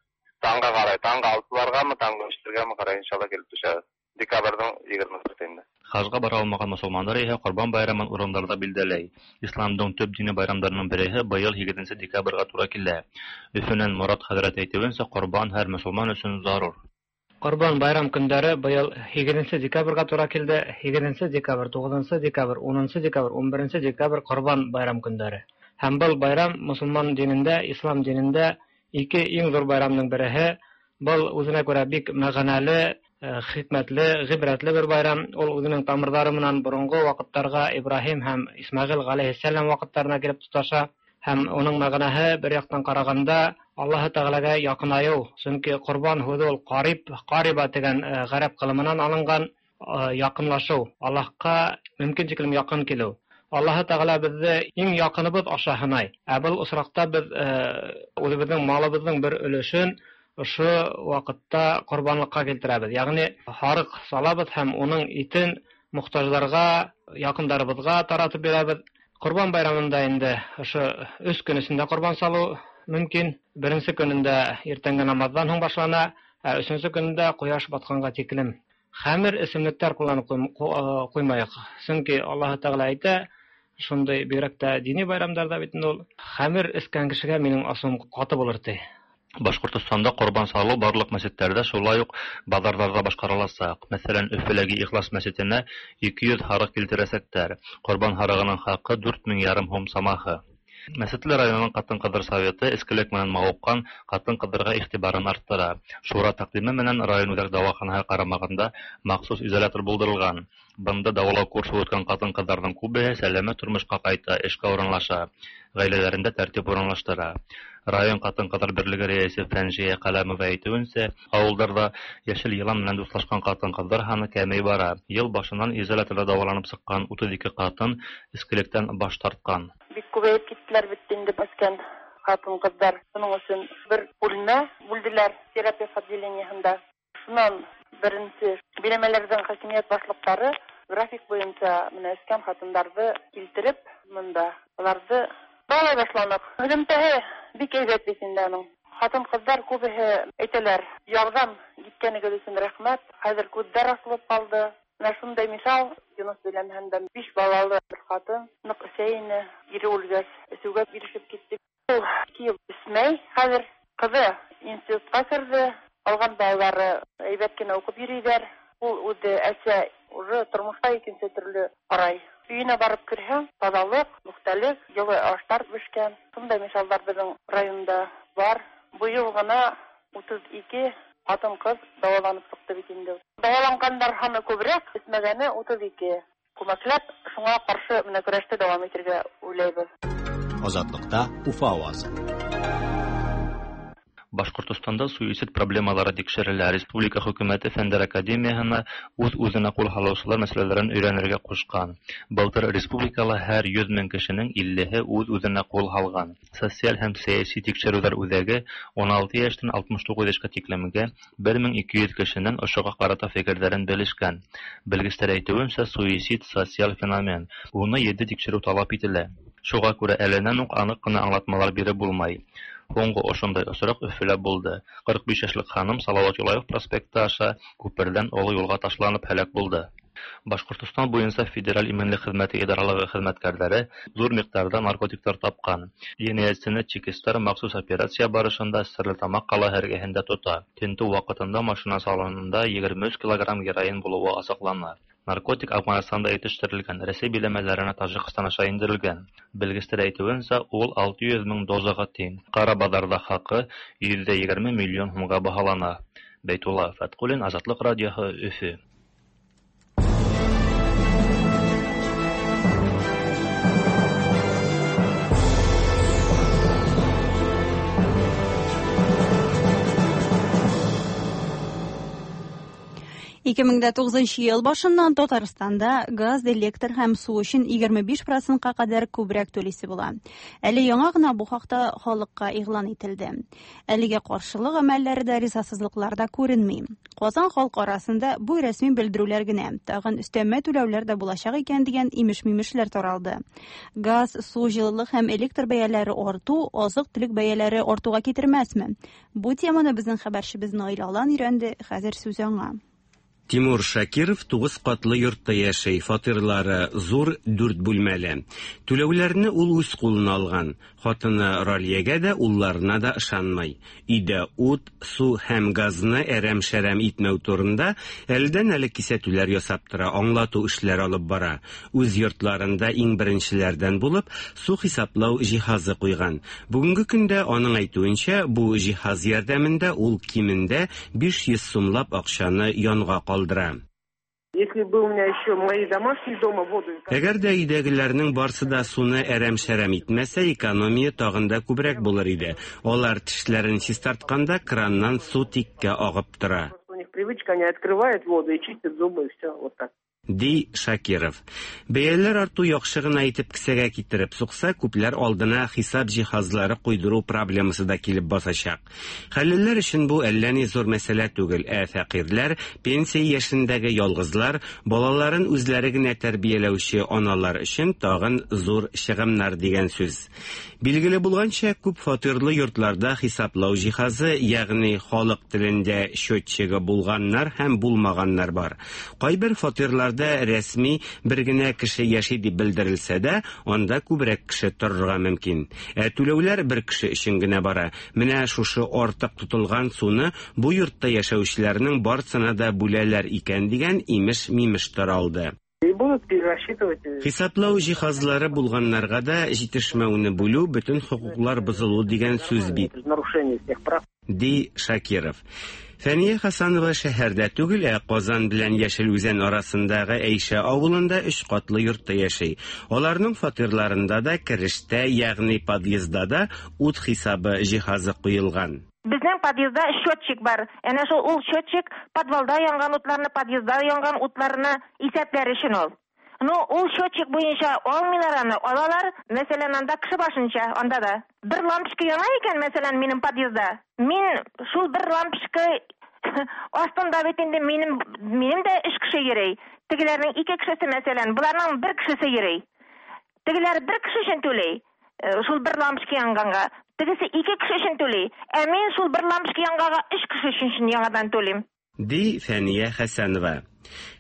таңга карай, таңгы 6-ларгамы, таңгы 3-ләргәме карай иншалла килеп төшә. Декабрьнең 24-ендә. Хаҗга бара алмаган мусулманнар иһә Корбан байрамын урыннарда билдәләй. Исламның төп дини байрамнарының береһе быел 8 декабрьгә туры килә. Өфөнән Мурат хәзрәт әйтүенчә, Корбан һәр мусулман өчен зарур. Корбан байрам көндәре быел 8 декабрьгә туры килде. 8 декабрь, 9 декабрь, 10 декабрь, 11 декабрь Корбан байрам көндәре. Һәм был байрам мусулман динендә, ислам динендә ике иң зур байрамның береһе. Был үзенә күрә бик мәгънәле, хикмәтле, гыйбрәтле бер байрам. Ул үзенең тамырлары менән борынгы вакытларга Ибраһим һәм Исмәгыйль галәйһиссәлам вакытларына килеп тоташа. Һәм уның мәгънәһе бер яктан караганда Аллаһы Тәгаләгә якынаю. Чөнки корбан һүзе ул кариб, кариба дигән гарәп кылымыннан алынган якынлашу, Аллаһка мөмкин тиклем якын килү. Аллаһы Тәгалә безне иң якыныбыз аша һынай. Ә был очракта без үзебезнең малыбызның бер өлешен ошо вакытта корбанлыкка килтерәбез. Ягъни һарык салабыз һәм уның итен мохтаҗларга, якындарыбызга таратып бирәбез. Корбан байрамында инде ошо 3 көн эчендә корбан салу мөмкин. Беренче көнендә иртәнге намаздан һуң башлана, ә өченче көнендә кояш батканга тиклем. Хәмер эчемлекләр кулланып куймайык. Чөнки Аллаһы Тәгалә әйтә, шундый бигрәк тә дини байрамдарда бит инде ул хәмер эчкән кешегә минем асым каты булыр ди. Башкортостанда корбан салу барлык мәчетләрдә, шулай ук базарларда башкарылачак. Мәсәлән, Өфеләге Ихлас мәчетенә 200 һарык килтерәчәкләр. Корбан һарыгының хакы 4 мең ярым һум самаһы. Мәсетле районының катын-кызлар советы эчкелек менән мавыккан катын-кызларга игътибарын арттыра. Шура тәкъдиме менән район үзәк дәваханәһе карамагында махсус изолятор булдырылган. Бында дәвалау курсы үткән катын-кызларның күбеһе сәламәт тормышка кайта, эшкә урынлаша, гаиләләрендә тәртип урынлаштыра. Район катын-кызлар берлеге рәисе Фәнжия Каләмова әйтүенчә, авылларда яшел елан менән дуслашкан катын-кызлар һаны кәмей бара. Ел башыннан изоляторда дәваланып чыккан 32 катын эчкелектән баш тарткан. Бик күбәеп киттеләр бит инде эчкән хатын-кызлар. Шуның өчен бер бүлмә бүлделәр терапевт отделениесында. Шуннан беренче биләмәләрдән хакимият башлыклары график буенча менә эчкән хатыннарны килтереп монда аларны дәвалай башланык. Һөҙөмтәһе бик әйбәт бит инде аның. Хатын-кызлар күбеһе әйтәләр, ярҙам иткәнегеҙ өсөн рәхмәт, хәҙер күҙҙәр асылып ҡалды. Менә шундай мисал, Юныс биләмәһендә биш балалы бер хатын ныҡ эсә ине, ире үлгәс, эсеүгә бирешеп китте. Ул ике ел эсмәй, хәҙер ҡыҙы институтҡа керҙе, ҡалған балалары әйбәт кенә уҡып йөрөйҙәр. Ул үҙе әсә уже тормошҡа икенсе төрлө ҡарай. Өйөнә барып керһәң, таҙалыҡ, пөхтәлек, йылы аштар бешкән. Шундай мисалдар беҙҙең районда бар. Быйыл ғына 32 ҡатын-ҡыҙ дауаланып сыҡты бит инде. Дауаланғандар һаны күберәк, эсмәгәне 32. Күмәкләп шуңа ҡаршы менә көрәште дауам итергә уйлайбыҙ. Азатлыкта Уфа авазы. Башкортостанда суицид проблемалары тикшерелә. Республика хөкүмәте Фәннәр академияһына үҙ-үҙенә ҡул һалыусылар мәсьәләләрен өйрәнергә ҡушҡан. Былтыр республикала һәр 100 мең кешенең 50-һе үҙ-үҙенә ҡул һалған. Социаль һәм сәйәси тикшереүҙәр үҙәге 16 йәштән 69 йәшкә тиклемгә 1200 кешенән ошоға ҡарата фекерҙәрен белешкән. Белгестәр әйтеүенсә, суицид социаль феномен. Уны етди тикшереү талап ителә. Шуға күрә әленән үк аныҡ ҡына аңлатмалар биреп булмай. Һуңғы ошондай осраҡ Өфөлә булды. 45 йәшлек ханым Салават Юлаев проспекты аша күперҙән оло юлға ташланып һәләк булды. Башҡортостан буйынса Федераль именлек хеҙмәте идаралығы хеҙмәткәрҙәре ҙур миҡдарҙа наркотиктар тапҡан. Енәйәтсене чекистар махсус операция барышында Стәрлетамаҡ ҡалаһы эргәһендә тота. Тентеү ваҡытында машина салонында 23 килограмм героин булыуы асыҡлана. Наркотик Афғанстанда етештерелгән, Рәсәй биләмәләренә Тажикстан аша индерелгән. Белгестәр әйтеүенсә, ул 600 мең дозаға тиң. Ҡара баҙарҙа хаҡы 120 миллион һумға баһалана. Бәйтулла Фәтҡуллин, Азатлыҡ радиоһы, Өфө. 2009 ел башыннан Татарстанда газ, электр һәм су өчен 25%-ка кадәр күбрәк түлисе була. Әле яңа гына бу хакта халыкка игълан ителде. Әлегә каршылык гамәлләре дә, ризасызлыклар да күренми. Казан халкы арасында бу рәсми белдерүләр генә, тагын өстәмә түләүләр дә булачак икән дигән имеш-мимешләр таралды. Газ, су, җылылык һәм электр бәяләре арту азык-төлек бәяләре артуга китермәсме? Бу теманы безнең хәбәрчебез Наил Алан өйрәнде, хәзер сүз аңа. Тимур Шакиров 9 катлы йортта яшәй, фатирлары зур, 4 бүлмәле. Түләүләрне ул үз кулына алган. Хатыны Ралиягә дә, улларына да ышанмый. Өйдә ут, су һәм газны әрәм-шәрәм итмәү турында әледән-әле кисәтүләр ясап тора, аңлату эшләре алып бара. Үз йортларында иң беренчеләрдән булып су хисаплау җиһазы куйган. Бүгенге көндә аның әйтүенчә, бу җиһаз ярдәмендә ул кимендә 500 сумлап акчаны янга калдыра. Если бы у меня еще мои домашние дома воду... Әгәр дә өйдәгеләрнең барсы да суны әрәм-шәрәм итмәсә, экономия тагын да күбрәк булыр иде. Алар тешләрен чистартканда краннан су тиккә агып тора. У них привычка, они открывают воду и чистят зубы, и все, вот так. Ди Шакиров. Бәяләр арту яхшы гына итеп кесәгә китереп сукса, күпләр алдына хисап җиһазлары куйдыру проблемасы да килеп басачак. Хәллеләр өчен бу әллә ни зур мәсьәлә түгел, ә фәкыйрьләр, пенсия яшендәге ялгызлар, балаларын үзләре генә тәрбияләүче аналар өчен тагын зур чыгымнар дигән сүз. Билгеле булганча, күп фатирлы йортларда хисаплау җиһазы, ягъни халык телендә счетчигы булганнар һәм булмаганнар бар. Кайбер фатирларда фатирларда рәсми бер генә кеше яши дип белдерелсә дә, анда күбрәк кеше торырга мөмкин. Ә түләүләр бер кеше өчен генә бара. Менә шушы артык тотылган суны бу йортта яшәүчеләрнең барсына да бүләләр икән дигән имеш-мимеш таралды. И будут перерасчитывать. Хисаплау җиһазлары булганнарга да җитешмәүне бүлү бөтен хокуклар бозылу дигән сүз бит. Нарушение всех прав. Ди Шакиров. Фәния Хасанова шәһәрдә түгел, ә Казан белән Яшел Үзән арасындагы Әйшә авылында өч катлы йортта яши. Аларның фатирларында да керештә, ягъни подъездда да ут хисабы җиһазы куелган. Безнең подъездда счетчик бар. Әнә шул ул счетчик подвалда янган утларны, подъездда янган утларны исәпләр өчен ул. Ну, ул счетчик буенча алмыйлар аны, алалар, мәсәлән, анда кеше башынча, анда да. Бер лампочка яна икән, мәсәлән, минем подъездда. Мин шул бер лампочка астында бит инде минем, минем дә өч кеше йөри. Тегеләрнең ике кешесе, мәсәлән, боларның бер кешесе йөри. Тегеләр бер кеше өчен түли, шул бер лампочка янганга. Тегесе ике кеше өчен түли. Ә мин шул бер лампочка янганга өч кеше өчен яңадан түлим. Ди Фәния Хәсәнова.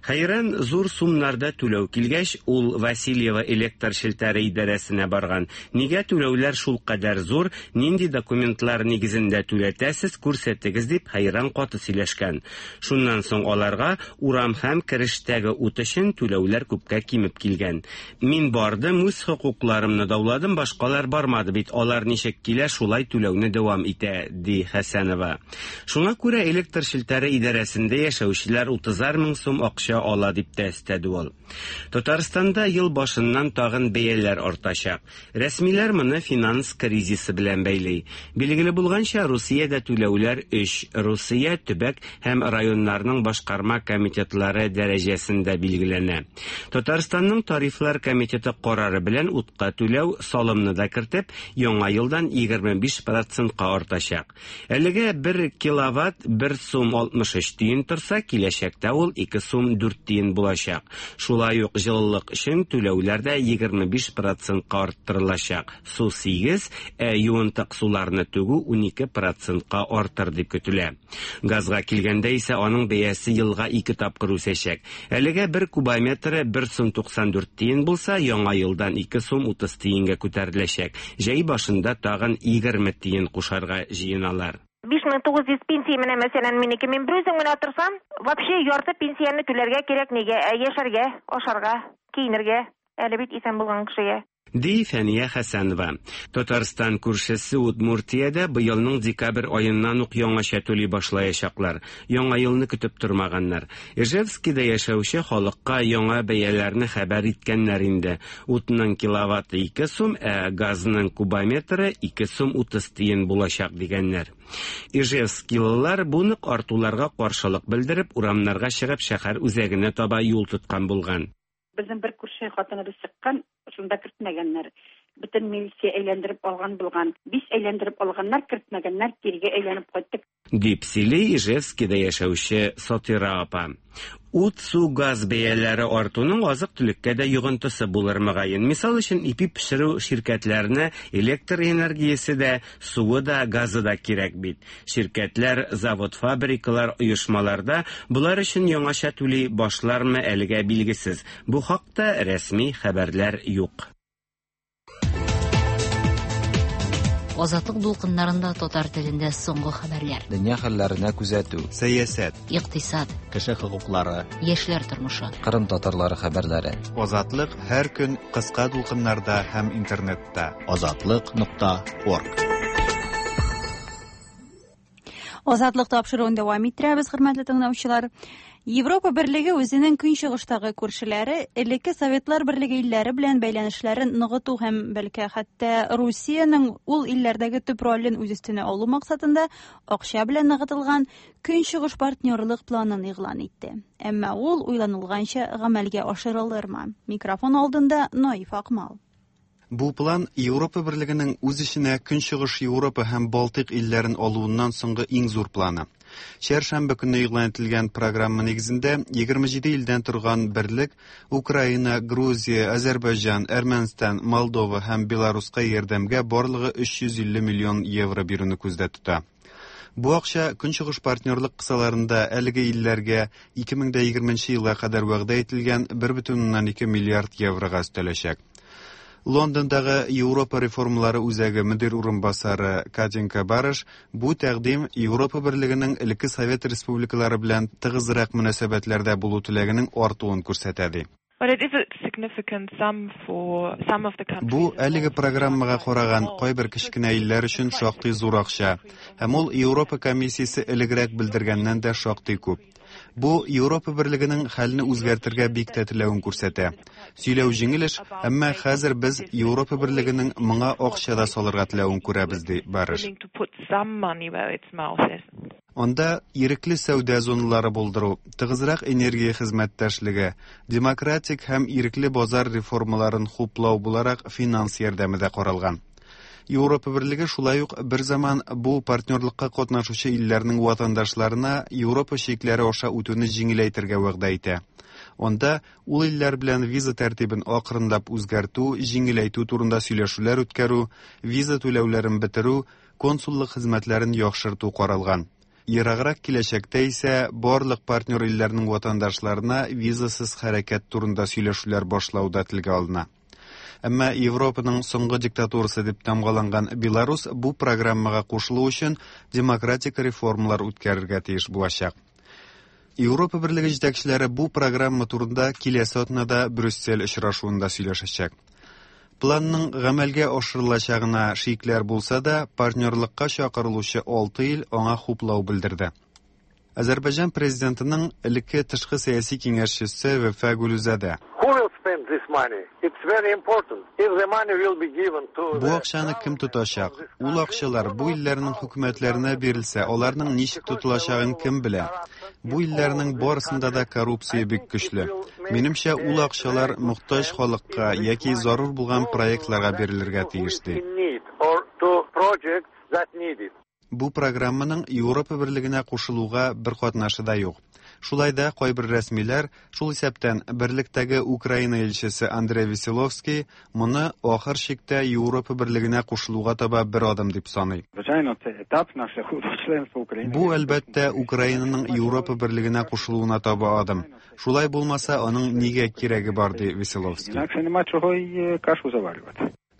Хәйран зур сумнарда түләү килгәч, ул Васильево электр челтәре идарәсенә барган. Нигә түләүләр шулкадәр зур, нинди документлар нигезендә түләтәсез, күрсәтегез дип хәйран каты сөйләшкән. Шуннан соң аларга урам һәм керештәге ут өчен түләүләр күпкә кимеп килгән. Мин бардым, үз хокукларымны дауладым, башкалар бармады бит, алар ничек килә, шулай түләүне дәвам итә, ди Хәсәнова. Шуңа күрә электр челтәре идарәсендә яшәүчеләр утызар мең сум акча ала, дип тә өстәде ул. Татарстанда ел башыннан тагын бәяләр артачак. Рәсмиләр моны финанс кризисы белән бәйли. Билгеле булганча, Русиядә түләүләр өч Русия, төбәк һәм районнарның башкарма комитетлары дәрәҗәсендә билгеләнә. Татарстанның тарифлар комитеты карары белән утка түләү, салымны да кертеп, яңа елдан 25 процентка артачак. Әлегә бер киловатт бер сум 63 тиен торса, киләчәктә ул 2 сум 4 тиен булачак. Шулай ук җылылык өчен түләүләр дә 25 процентка арттырылачак. Су 8, ә юынтык суларны түгү 12 процентка артыр дип көтелә. Газга килгәндә исә аның бәясе елга ике тапкыр үсәчәк. Әлегә бер кубометры 1 сум 94 тиен булса, яңа елдан 2 сум 30 тиенгә күтәреләчәк. Җәй башында тагын 20 тиен кушарга җыеналар. 5900 пенсия менә, мәсәлән, минеке. Мин берүзем генә торсам, вообще ярты пенсияне түләргә кирәк нигә? Ә яшәргә, ашарга, киенергә, әле бит исән булган кешегә. Ди Фәния Хәсәнова. Татарстан күршесе Удмуртиядә быелның декабрь аеннан ук яңача түли башлаячаклар. Яңа елны көтеп тормаганнар. Ижевскида яшәүче халыкка яңа бәяләрне хәбәр иткәннәр инде. Утның киловатты 2 сум, ә газның кубометры 2 сум 30 тиен булачак дигәннәр. Ижевскилылар бу нык артуларга каршылык белдереп, урамнарга чыгып шәһәр үзәгенә таба юл тоткан булган. Безнең бер күрше хатыныбыз чыккан, шунда кертмәгәннәр. Бөтен милиция әйләндереп алган булган. Биш әйләндереп алганнар, кертмәгәннәр, кирегә әйләнеп кайттык. Дип сөйли Ижевскида яшәүче Сатира апа. Ут, су, газ бәяләре артуның азык-төлеккә дә йогынтысы булыр мөгаен. Мисал өчен, ипи пешерү ширкәтләренә электр энергиясе дә, суы да, газы да кирәк бит. Ширкәтләр, завод-фабрикалар, оешмаларда болар өчен яңача түли башлармы әлегә билгесез. Бу хакта рәсми хәбәрләр юк. Азатлык дулкыннарында татар телендә соңгы хәбәрләр. Дөнья хәлләренә күзәтү. Сәясәт. Икътисад. Кеше хокуклары. Яшьләр тормышы. Кырым татарлары хәбәрләре. Азатлык һәр көн кыска дулкыннарда һәм интернетта. Азатлык нокта орг. Азатлык тапшыруын дәвам иттерәбез, хөрмәтле тыңлаучылар. Европа Берлеге үзенең көнчыгыштагы күршеләре, элекке Советлар Берлеге илләре белән бәйләнешләрен ныгыту һәм бәлки хәтта Русиянең ул илләрдәге төп ролен үз өстенә алу максатында акча белән ныгытылган Көнчыгыш партнерлык планын игълан итте. Әмма ул уйланылганча гамәлгә ашырылырмы? Микрофон алдында Наиф Акмал. Бу план Европа Берлегенең үз эченә Көнчыгыш Европа һәм Балтыйк илләрен алуыннан соңгы иң зур планы. Чәршәмбе көнне игълан ителгән программа нигезендә 27 илдән торган берлек Украина, Грузия, Азәрбайҗан, Әрмәнстан, Молдова һәм Беларуска ярдәмгә барлыгы 350 миллион евро бирүне күздә тота. Бу акча Көнчыгыш партнерлык кысаларында әлеге илләргә 2020 нче елга кадәр вәгъдә ителгән 1,2 миллиард еврога өстәләчәк. Лондондагы Европа реформалары үзәге мөдир урынбасары Катенька Барыш бу тәкъдим Европа Берлегенең элекке совет республикалары белән тыгызрак мөнәсәбәтләрдә булу теләгенең артуын күрсәтә ди. Бу әлеге программага караган кайбер кечкенә илләр өчен шактый зур акча, һәм ул Европа комиссиясе элегрәк белдергәннән дә шактый күп. Бу Европа Берлегенең хәлне үзгәртергә бик тә теләвен күрсәтә. Сөйләү җиңел эш, әмма хәзер без Европа Берлегенең моңа акча да салырга теләвен күрәбез, ди Барыш. Анда ирекле сәүдә зоналары булдыру, тыгызрак энергия хезмәттәшлеге, демократик һәм ирекле базар реформаларын хуплау буларак финанс ярдәме дә каралган. Европа Берлеге шулай ук берзаман бу партнерлыкка катнашучы илләрнең ватандашларына Европа чикләре аша үтүне җиңеләйтергә вәгъдә итә. Анда ул илләр белән виза тәртибен акрынлап үзгәртү, җиңеләйтү турында сөйләшүләр үткәрү, виза түләүләрен бетерү, консуллык хезмәтләрен яхшырту каралган. Ераграк киләчәктә исә барлык партнер илләрнең ватандашларына визасыз хәрәкәт турында сөйләшүләр башлау да телгә алына. Әмма Европаның соңгы диктатурасы дип тамгаланган Беларус бу программага кушылу өчен демократик реформалар үткәрергә тиеш булачак. Европа Берлеге җитәкчеләре бу программа турында киләсе атнада Брюссель очрашуында сөйләшәчәк. Планның гамәлгә ашырылачагына шикләр булса да, партнерлыкка чакырылучы алты ил аңа хуплау белдерде. Азәрбайҗан президентының элекке тышкы сәяси киңәшчесе Вәфа Гөлүзадә. Бу акчаны кем тотачак? Ул акчалар бу илләрнең хөкүмәтләренә бирелсә, аларның ничек тотылачагын кем белә? Бу илләрнең барысында да коррупция бик көчле. Минемчә, ул акчалар мохтаҗ халыкка яки зарур булган проектларга бирелергә тиеш, ди. Бу программаның Европа Берлегенә кушылуга бер катнашы да юк. Шулай да кайбер рәсмиләр, шул исәптән Берлектәге Украина илчесе Андрей Веселовский, моны ахыр чиктә Европа Берлегенә кушылуга таба бер адым дип саный. Бу, әлбәттә, Украинаның Европа Берлегенә кушылуына таба адым. Шулай булмаса, аның нигә кирәге бар, ди Веселовский.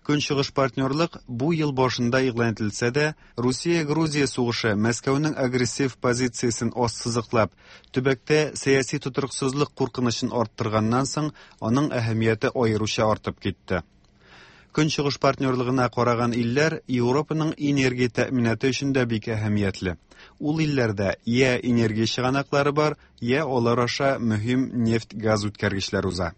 Көнчыгыш партнерлык бу ел башында игълан ителсә дә, Русия-Грузия сугышы Мәскәүнең агрессив позициясен ассызыклап, төбәктә сәяси тотрыксызлык куркынычын арттырганнан соң, аның әһәмияте аеруча артып китте. Көнчыгыш партнерлыгына караган илләр Европаның энергия тәэминаты өчен дә бик әһәмиятле. Ул илләрдә я энергия чыганаклары бар, я алар аша мөһим нефть-газ үткәргечләр уза.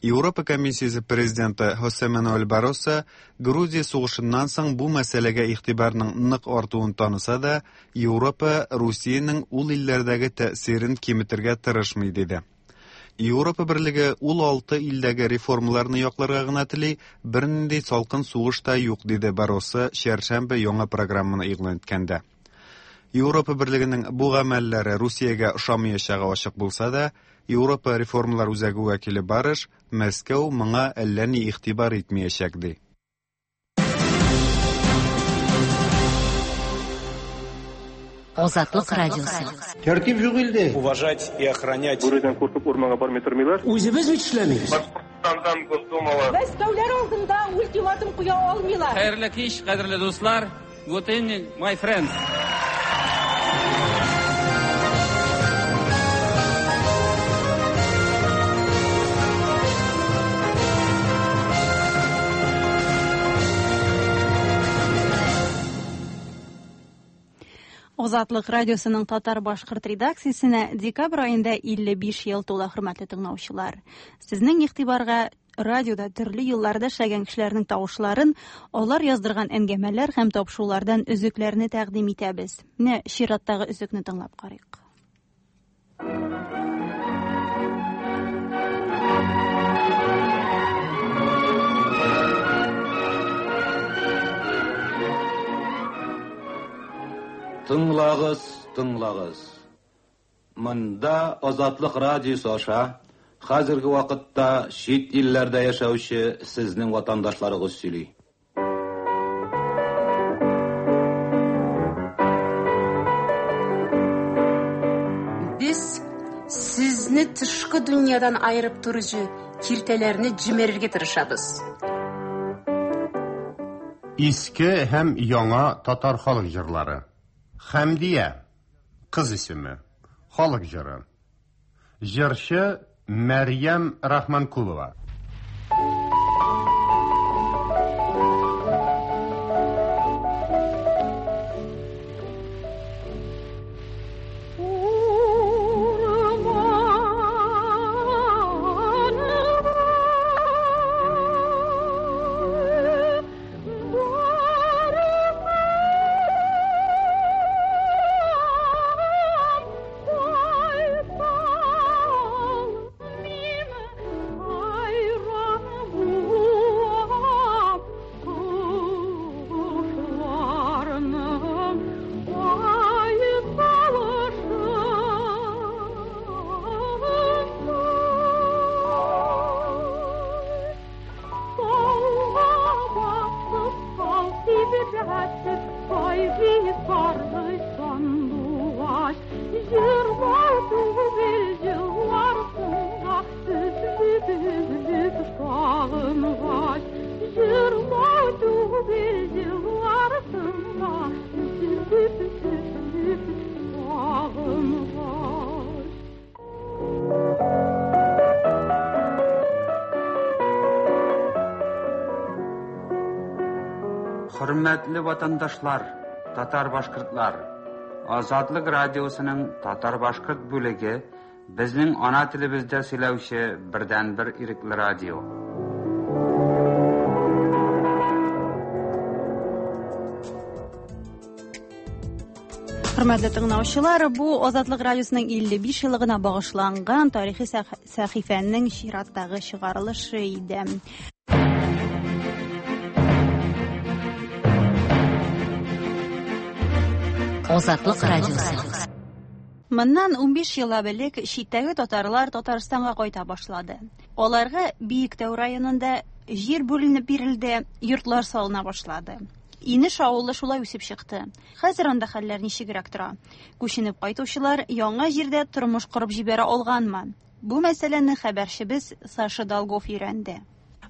Европа комиссиясе президенты Хосе Мануэль Барроса Грузия сугышыннан соң бу мәсьәләгә игътибарның нык артуын таныса да, Европа Русиянең ул илләрдәге тәэсирен киметергә тырышмый диде. Европа берлеге ул алты илдәге реформаларны якларга гына тели, бернинди салкын сугыш та юк, диде Барроса чәршәмбе яңа программаны игълан иткәндә. Европа берлегенең бу гамәлләре Русиягә ошамаячагы ачык булса да, Европа реформалар үзәге вәкиле Барыш, Мәскәү моңа әллә ни игътибар итмәячәк, ди. Азатлык радиосы. Тәртип юк илдә. Уважать и охранять. Бүредән куркып урманга бармый тормыйлар. Үзебез бит эшләмибез. Башкортстандан Госдумалы. Мәскәүләр алдында ультиматум куя алмыйлар. Хәерле кич, кадерле дуслар. Good evening, my friends. Азатлык радиосының татар-башкорт редакциясенә декабрь аенда 55 ел тула, хөрмәтле тыңлаучылар. Сезнең игътибарга радиода төрле елларда эшләгән кешеләрнең тавышларын, алар яздырган әңгәмәләр һәм тапшырулардан өзекләрне тәкъдим итәбез. Менә чираттагы өзекне тыңлап карыйк. Тыңлагыз, тыңлагыз. Монда Азатлык радиосы аша хәзерге вакытта чит илләрдә яшәүче сезнең ватандашларыгыз сөйли. Сезне тышкы дөньядан аерып торучы киртәләрне җимерергә тырышабыз. Иске һәм яңа татар халык җырлары. Хәмдия, кыз исеме, халык җыры. Җырчы Мәрьям Рахманкулова. Хөрмәтле ватандашлар, татар-башкортлар! Азатлык радиосының татар-башкорт бүлеге безнең ана телебездә сөйләүче бердәнбер ирекле радио. Хөрмәтле тыңлаучылар, бу Азатлык радиосының 55 еллыгына багышланган тарихи сәхифәнең чираттагы чыгарылышы иде. Азатлык радиосы. Моннан 15 еллап элек читтәге татарлар Татарстанга кайта башлады. Аларга Биектау районында җир бүленеп бирелде, йортлар салына башлады. Инеш авылы шулай үсеп чыкты. Хәзер анда хәлләр ничегрәк тора? Күченеп кайтучылар яңа җирдә тормыш корып җибәрә алганмы? Бу мәсьәләне хәбәрчебез Саша Долгов өйрәнде.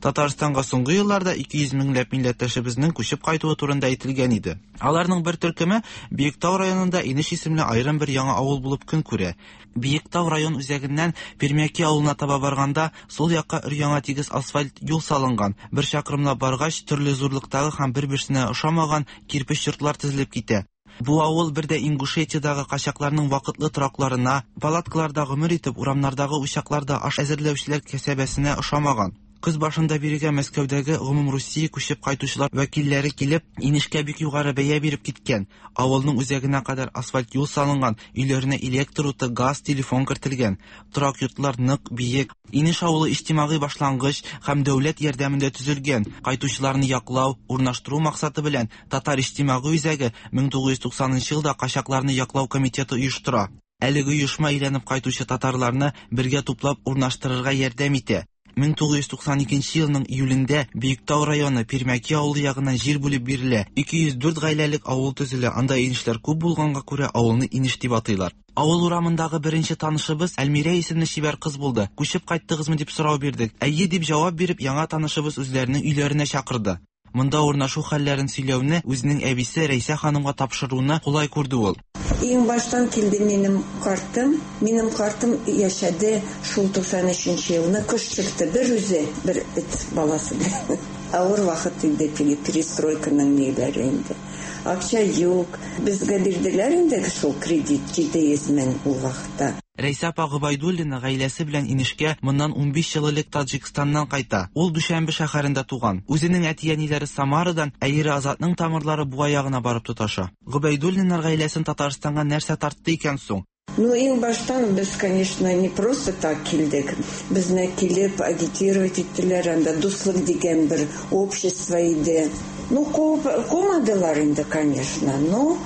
Татарстанга соңгы елларда 200 меңләп милләттәшебезнең күчеп кайтуы турында әйтелгән иде. Аларның бер төркеме Биектау районында Инеш исемле аерым бер яңа авыл булып көн күрә. Биектау район үзәгеннән Пермяки авылына таба барганда, сул якка өр-яңа тигез асфальт юл салынган. Бер чакрымлап баргач, төрле зурлыктагы һәм бер-берсенә ошамаган кирпеч йортлар тезелеп китә. Бу авыл бер дә Ингушетиядагы качакларның вакытлы торакларына, палаткаларда гомер итеп, урамнардагы учакларда аш әзерләүчеләр кәсәбәсенә ошамаган. Көз башында бирегә Мәскәүдәге гомумрусия күчеп кайтучылар вәкилләре килеп, Инешкә бик югары бәя биреп киткән. Авылның үзәгенә кадәр асфальт юл салынган, өйләренә электр уты, газ, телефон кертелгән. Торак йортлар нык, биек. Инеш авылы иҗтимагый башлангыч һәм дәүләт ярдәмендә төзелгән. Кайтучыларны яклау, урнаштыру максаты белән Татар иҗтимагый үзәге 1990 нчы елда качакларны яклау комитеты оештыра. Әлеге оешма әйләнеп кайтучы татарларны бергә туплап урнаштырырга ярдәм итә. 1992 елның июлендә Биектау районы Пермяки авылы ягыннан җир бүлеп бирелә. 204 гаиләлек авыл төзелә, анда инешләр күп булганга күрә авылны Инеш дип атыйлар. Авыл урамындагы беренче танышыбыз Әлмирә исемле чибәр кыз булды. Күчеп кайттыгызмы дип сорау бирдек. Әйе дип җавап биреп, яңа танышыбыз үзләренең өйләренә чакырды. Монда урнашу хәлләрен сөйләүне үзенең әбисе Рәйсә ханымга тапшыруны кулай күрде ул. Иң баштан килде минем картым. Минем картым яшәде шул 93 нче елны. Кыш чыкты бер үзе, бер эт баласы белән. Авыр вакыт инде теге перестройканың ниләре инде. Акча юк. Безгә бирделәр инде шул кредит 700 мең ул вакытта. Рәйсә апа Гобәйдуллина гаиләсе белән Инешкә моннан 15 ел элек Таҗикстаннан кайта. Ул Дүшәнбе шәһәрендә туган. Үзенең әти-әниләре Самарадан, ә ире Азатның тамырлары Буа ягына барып тоташа. Гобәйдуллиннар гаиләсен Татарстанга нәрсә тартты икән соң? Ну, иң баштан без, конечно, не просто так килдек. Безне килеп агитировать иттеләр, анда Дуслык дигән бер общество иде. Ну, куып кумадылар инде, конечно, но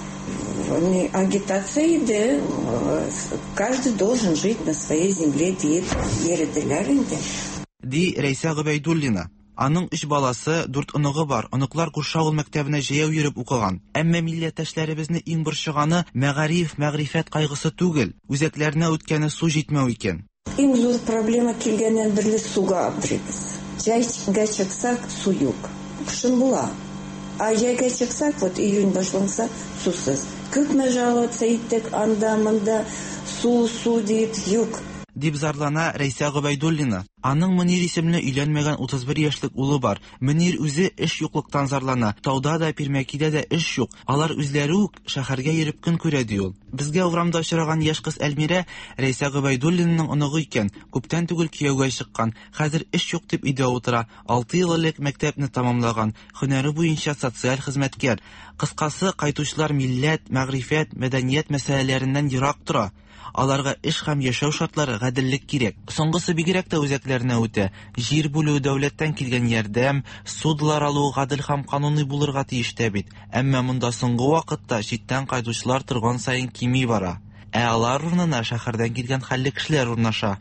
Агитация иде, каждый должен жить на своей земле диеп йөределәр инде. Ди Рәйсә Гобәйдуллина. Аның өч баласы, дүрт оныгы бар. Оныклар күрше авыл мәктәбенә җәяү йөреп укыган. Әмма милләттәшләребезне иң борчыганы мәгариф, мәгърифәт кайгысы түгел, үзәкләренә үткәне су җитмәү икән. Иң зур проблема килгәннән бирле суга аптырыйбыз. Җәйгә чыксак, су юк. Кышын була. Ә җәйгә чыксак, вот июнь башланса, сусыз. Күпме жаловаться иттек анда, монда, су, су дип, юк. Дип зарлана Рәйсә Гобәйдуллина. Аның Мөнир исемле өйләнмәгән 31 яшьлек улы бар. Мөнир үзе эш юклыктан зарлана. Тауда да, Пирмәкидә дә эш юк. Алар үзләре үк шәһәргә йөреп көн күрә, ди ул. Безгә урамда очраган яшь кыз Әлмирә Рәйсә Гобәйдуллинаның оныгы икән. Күптән түгел кияүгә чыккан. Хәзер эш юк дип өйдә утыра. Алты ел элек мәктәпне тәмамлаган. Һөнәре буенча социаль хезмәткәр. Кыскасы, кайтучылар милләт, мәгърифәт, мәдәният мәсьәләләреннән ерак тора. Аларга эш һәм яшәү шартлары, гаделлек кирәк. Соңгысы бигрәк тә үзәкләренә үтә. Җир бүлү, дәүләттән килгән ярдәм, ссудалар алу гадел һәм кануни булырга тиеш тә бит. Әмма монда соңгы вакытта читтән кайтучылар торган саен кими бара. Ә алар урынына шәһәрдән килгән хәлле кешеләр урнаша.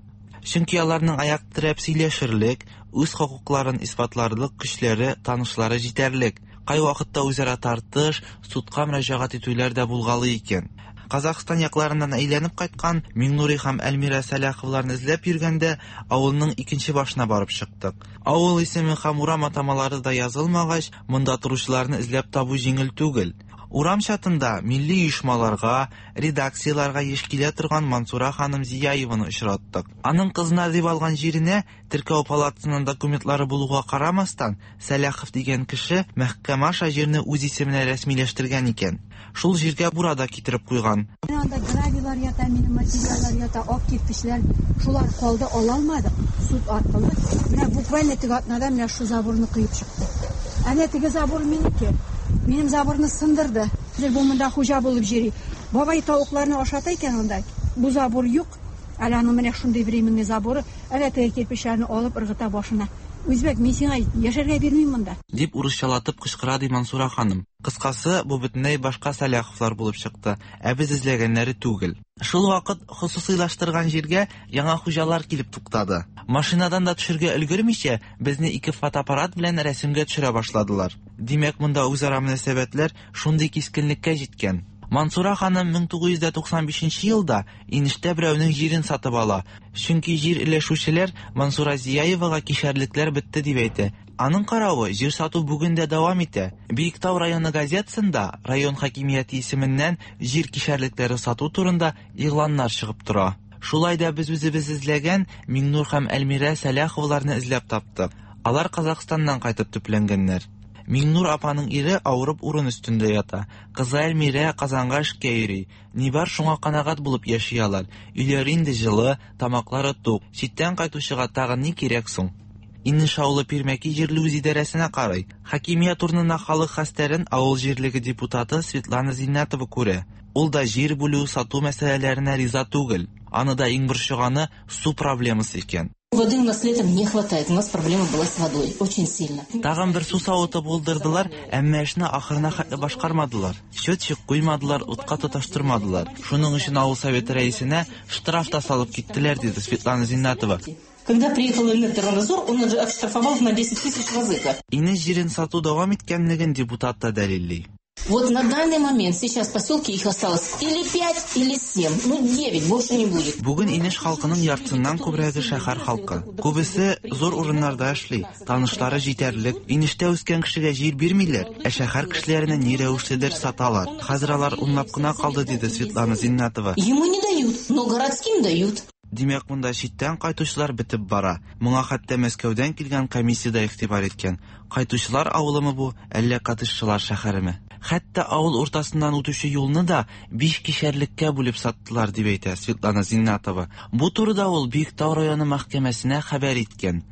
Чөнки аларның аяк терәп сөйләшерлек, үз хокукларын исбатларлык көчләре, танышлары җитәрлек. Кайвакытта үзара тартыш, судка мөрәҗәгать итүләр дә булгалый икән. Казахстан якларыннан әйләнеп кайткан Миңнури һәм Әлмирә Сәлаховларны эзләп йөргәндә, авылның икенче башына барып чыктык. Авыл исеме һәм урам атамалары да язылмагач, монда торучыларны эзләп табу җиңел түгел. Урам чатында милли оешмаларга, редакцияләргә еш килә торган Мансура ханым Зияеваны очраттык. Аның кызына дип алган җиренә теркәү палатасыннан документлары булуга карамастан, Сәлахов дигән кеше мәхкәмә аша җирне үз исеменә рәсмиләштергән икән. Шул җиргә бура да китереп куйган. Менә анда гравийлар ята, минем материаллар ята, ак кирпечләр. Шулар калды, ала алмадык суд аркылы. Менә буквально теге атнада менә шу заборны коеп чыкты. Әнә теге забор минеке. Минем заборны сындырды. Хәзер бу монда хуҗа булып йөри. Бабай тавыкларны ашата икән анда. Бу забор юк. Әле аның менә шундый временный заборы. Әнә теге кирпечләрне алып ыргыта башына. Үзбәк, мин сиңа яшәргә бирмим монда. Дип урысчалатып кычкыра ди Мансура ханым. Кыскасы, бу бөтенләй башка Сәлаховлар булып чыкты, ә без эзләгәннәре түгел. Шул вакыт хосусыйлаштырган җиргә яңа хуҗалар килеп туктады. Машинадан да төшергә өлгермичә, безне ике фотоаппарат белән рәсемгә төшерә башладылар. Димәк, монда үзара мөнәсәбәтләр шундый кискенлеккә җиткән. Мансура ханым 1995 елда Инештә берәүнең җирен сатып ала. Чөнки җир өләшүчеләр Мансура Зияевага кишәрлекләр бетте дип әйтә. Аның каравы, җир сату бүген дә дәвам итә. Биектау районы газетасында район хакимияте исеменнән җир кишәрлекләре сату турында игъланнар чыгып тора. Шулай да без үзебез эзләгән Миңнур һәм Әлмирә Сәлаховларны эзләп таптык. Алар Казахстаннан кайтып төпләнгәннәр. Миңнур апаның ире авырып урын өстендә ята. Кызы Әлмирә Казанга эшкә йөри. Ни бар, шуңа канәгать булып яши алар. Өйләре инде җылы, тамаклары тук. Читтән кайтучыга тагын ни кирәк соң? Инеш авылы Пирмәки җирле үзидарәсенә карый. Хакимият урынына халык хәстәрен авыл җирлеге депутаты Светлана Зиннәтова күрә. Ул да җир бүлү, сату мәсьәләләренә риза түгел. Аны да иң борчыганы су проблемасы икән. Воды у нас летом не хватает. У нас проблема была с водой. Очень сильно. Тагын бер су савыты булдырдылар, әмма эшне ахырына хәтле башкармадылар. Счетчик куймадылар, утка тоташтырмадылар. Шуның өчен авыл советы рәисенә штраф та салып киттеләр, диде Светлана Зиннатова. Когда приехал Эльнар он оштрафовал на 10 тысяч вазыка. Инеш җирен сату дәвам иткәнлеген депутат та дәлилли. Вот на данный момент сейчас в поселке их осталось или 5, или 7, ну 9, больше не будет. Бүген Инеш халкының яртысыннан күбрәге шәһәр халкы. Күбесе зур урыннарда эшли, танышлары җитәрлек. Инештә үскән кешегә җир бирмиләр, ә шәһәр кешеләренә ни рәвешледер саталар. Хәзер алар унлап кына калды, диде Светлана Зиннатова. Ему не дают, но городским дают. Димәк, монда читтән кайтучылар бетеп бара. Моңа хәтта Мәскәүдән килгән комиссия дә игътибар иткән. Кайтучылар авылымы бу, әллә коттеджчылар шәһәреме? Хәтта авыл уртасыннан үтүче юлны да биш кишәрлеккә бүлеп саттылар, дип әйтә Светлана Зиннатова. Бу турыда ул Биектау районы мәхкәмәсенә хәбәр иткән.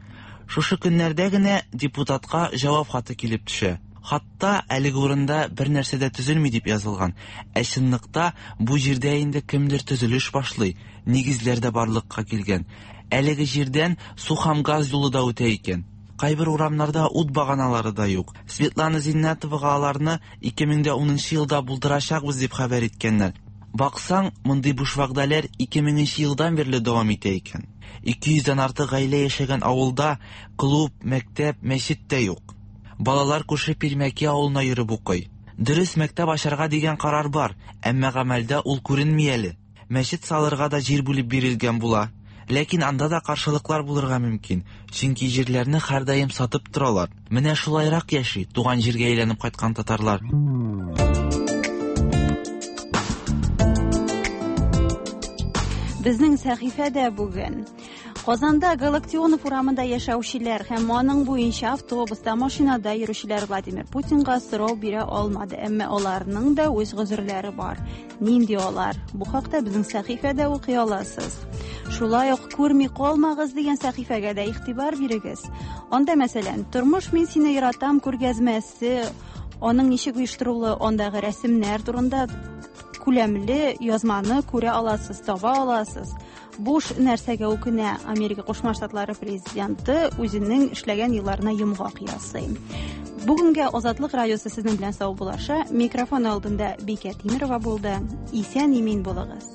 Шушы көннәрдә генә депутатка җавап хаты килеп төшә. Хатта әлеге урында бер нәрсә дә төзелми дип язылган. Ә чынлыкта бу җирдә инде кемдер төзелеш башлый, нигезләр дә барлыкка килгән. Әлеге җирдән су һәм газ юлы да үтә икән. Кайбер урамнарда ут баганалары да юк. Светлана Зиннәтовага аларны 2010 елда булдырачакбыз дип хәбәр иткәннәр. Баксаң, мондый буш вәгъдәләр 2000 нче елдан бирле дәвам итә икән. 200 дән артык гаилә яшәгән авылда клуб, мәктәп, мәчет тә юк. Балалар күрше Пирмәки авылына йөреп укый. Дөрес, мәктәп ачарга дигән карар бар, әмма гамәлдә ул күренми әле. Мәчет салырга да җир бүлеп бирелгән була. Ләкин анда да каршылыклар булырга мөмкин, чөнки җирләрне һәрдаим сатып торалар. Менә шулайрак яши туган җиргә әйләнеп кайткан татарлар. Безнең сәхифәдә бүген Казанда Галактионов урамында яшәүчеләр һәм аның буенча автобуста, машинада йөрүчеләр Владимир Путинга сорау бирә алмады, әмма аларның да үз гозерләре бар. Нинди алар? Бу хакта безнең сәхифәдә укый аласыз. Шулай ук күрми калмагыз дигән сәхифәгә дә игътибар бирегез. Анда, мәсәлән, Тормыш мин сине яратам күргәзмәсе, аның ничек оештырылуы, андагы рәсемнәр турында күләмле язманы күрә аласыз, таба аласыз. Буш нәрсәгә үкенә Америка Кушма Штатлары президенты үзенең эшләгән елларына йомгак ясый. Бүгенгә Азатлык радиосы сезнең белән саубуллаша. Микрофон алдында Бикә Тимирова булды. Исән имин булыгыз.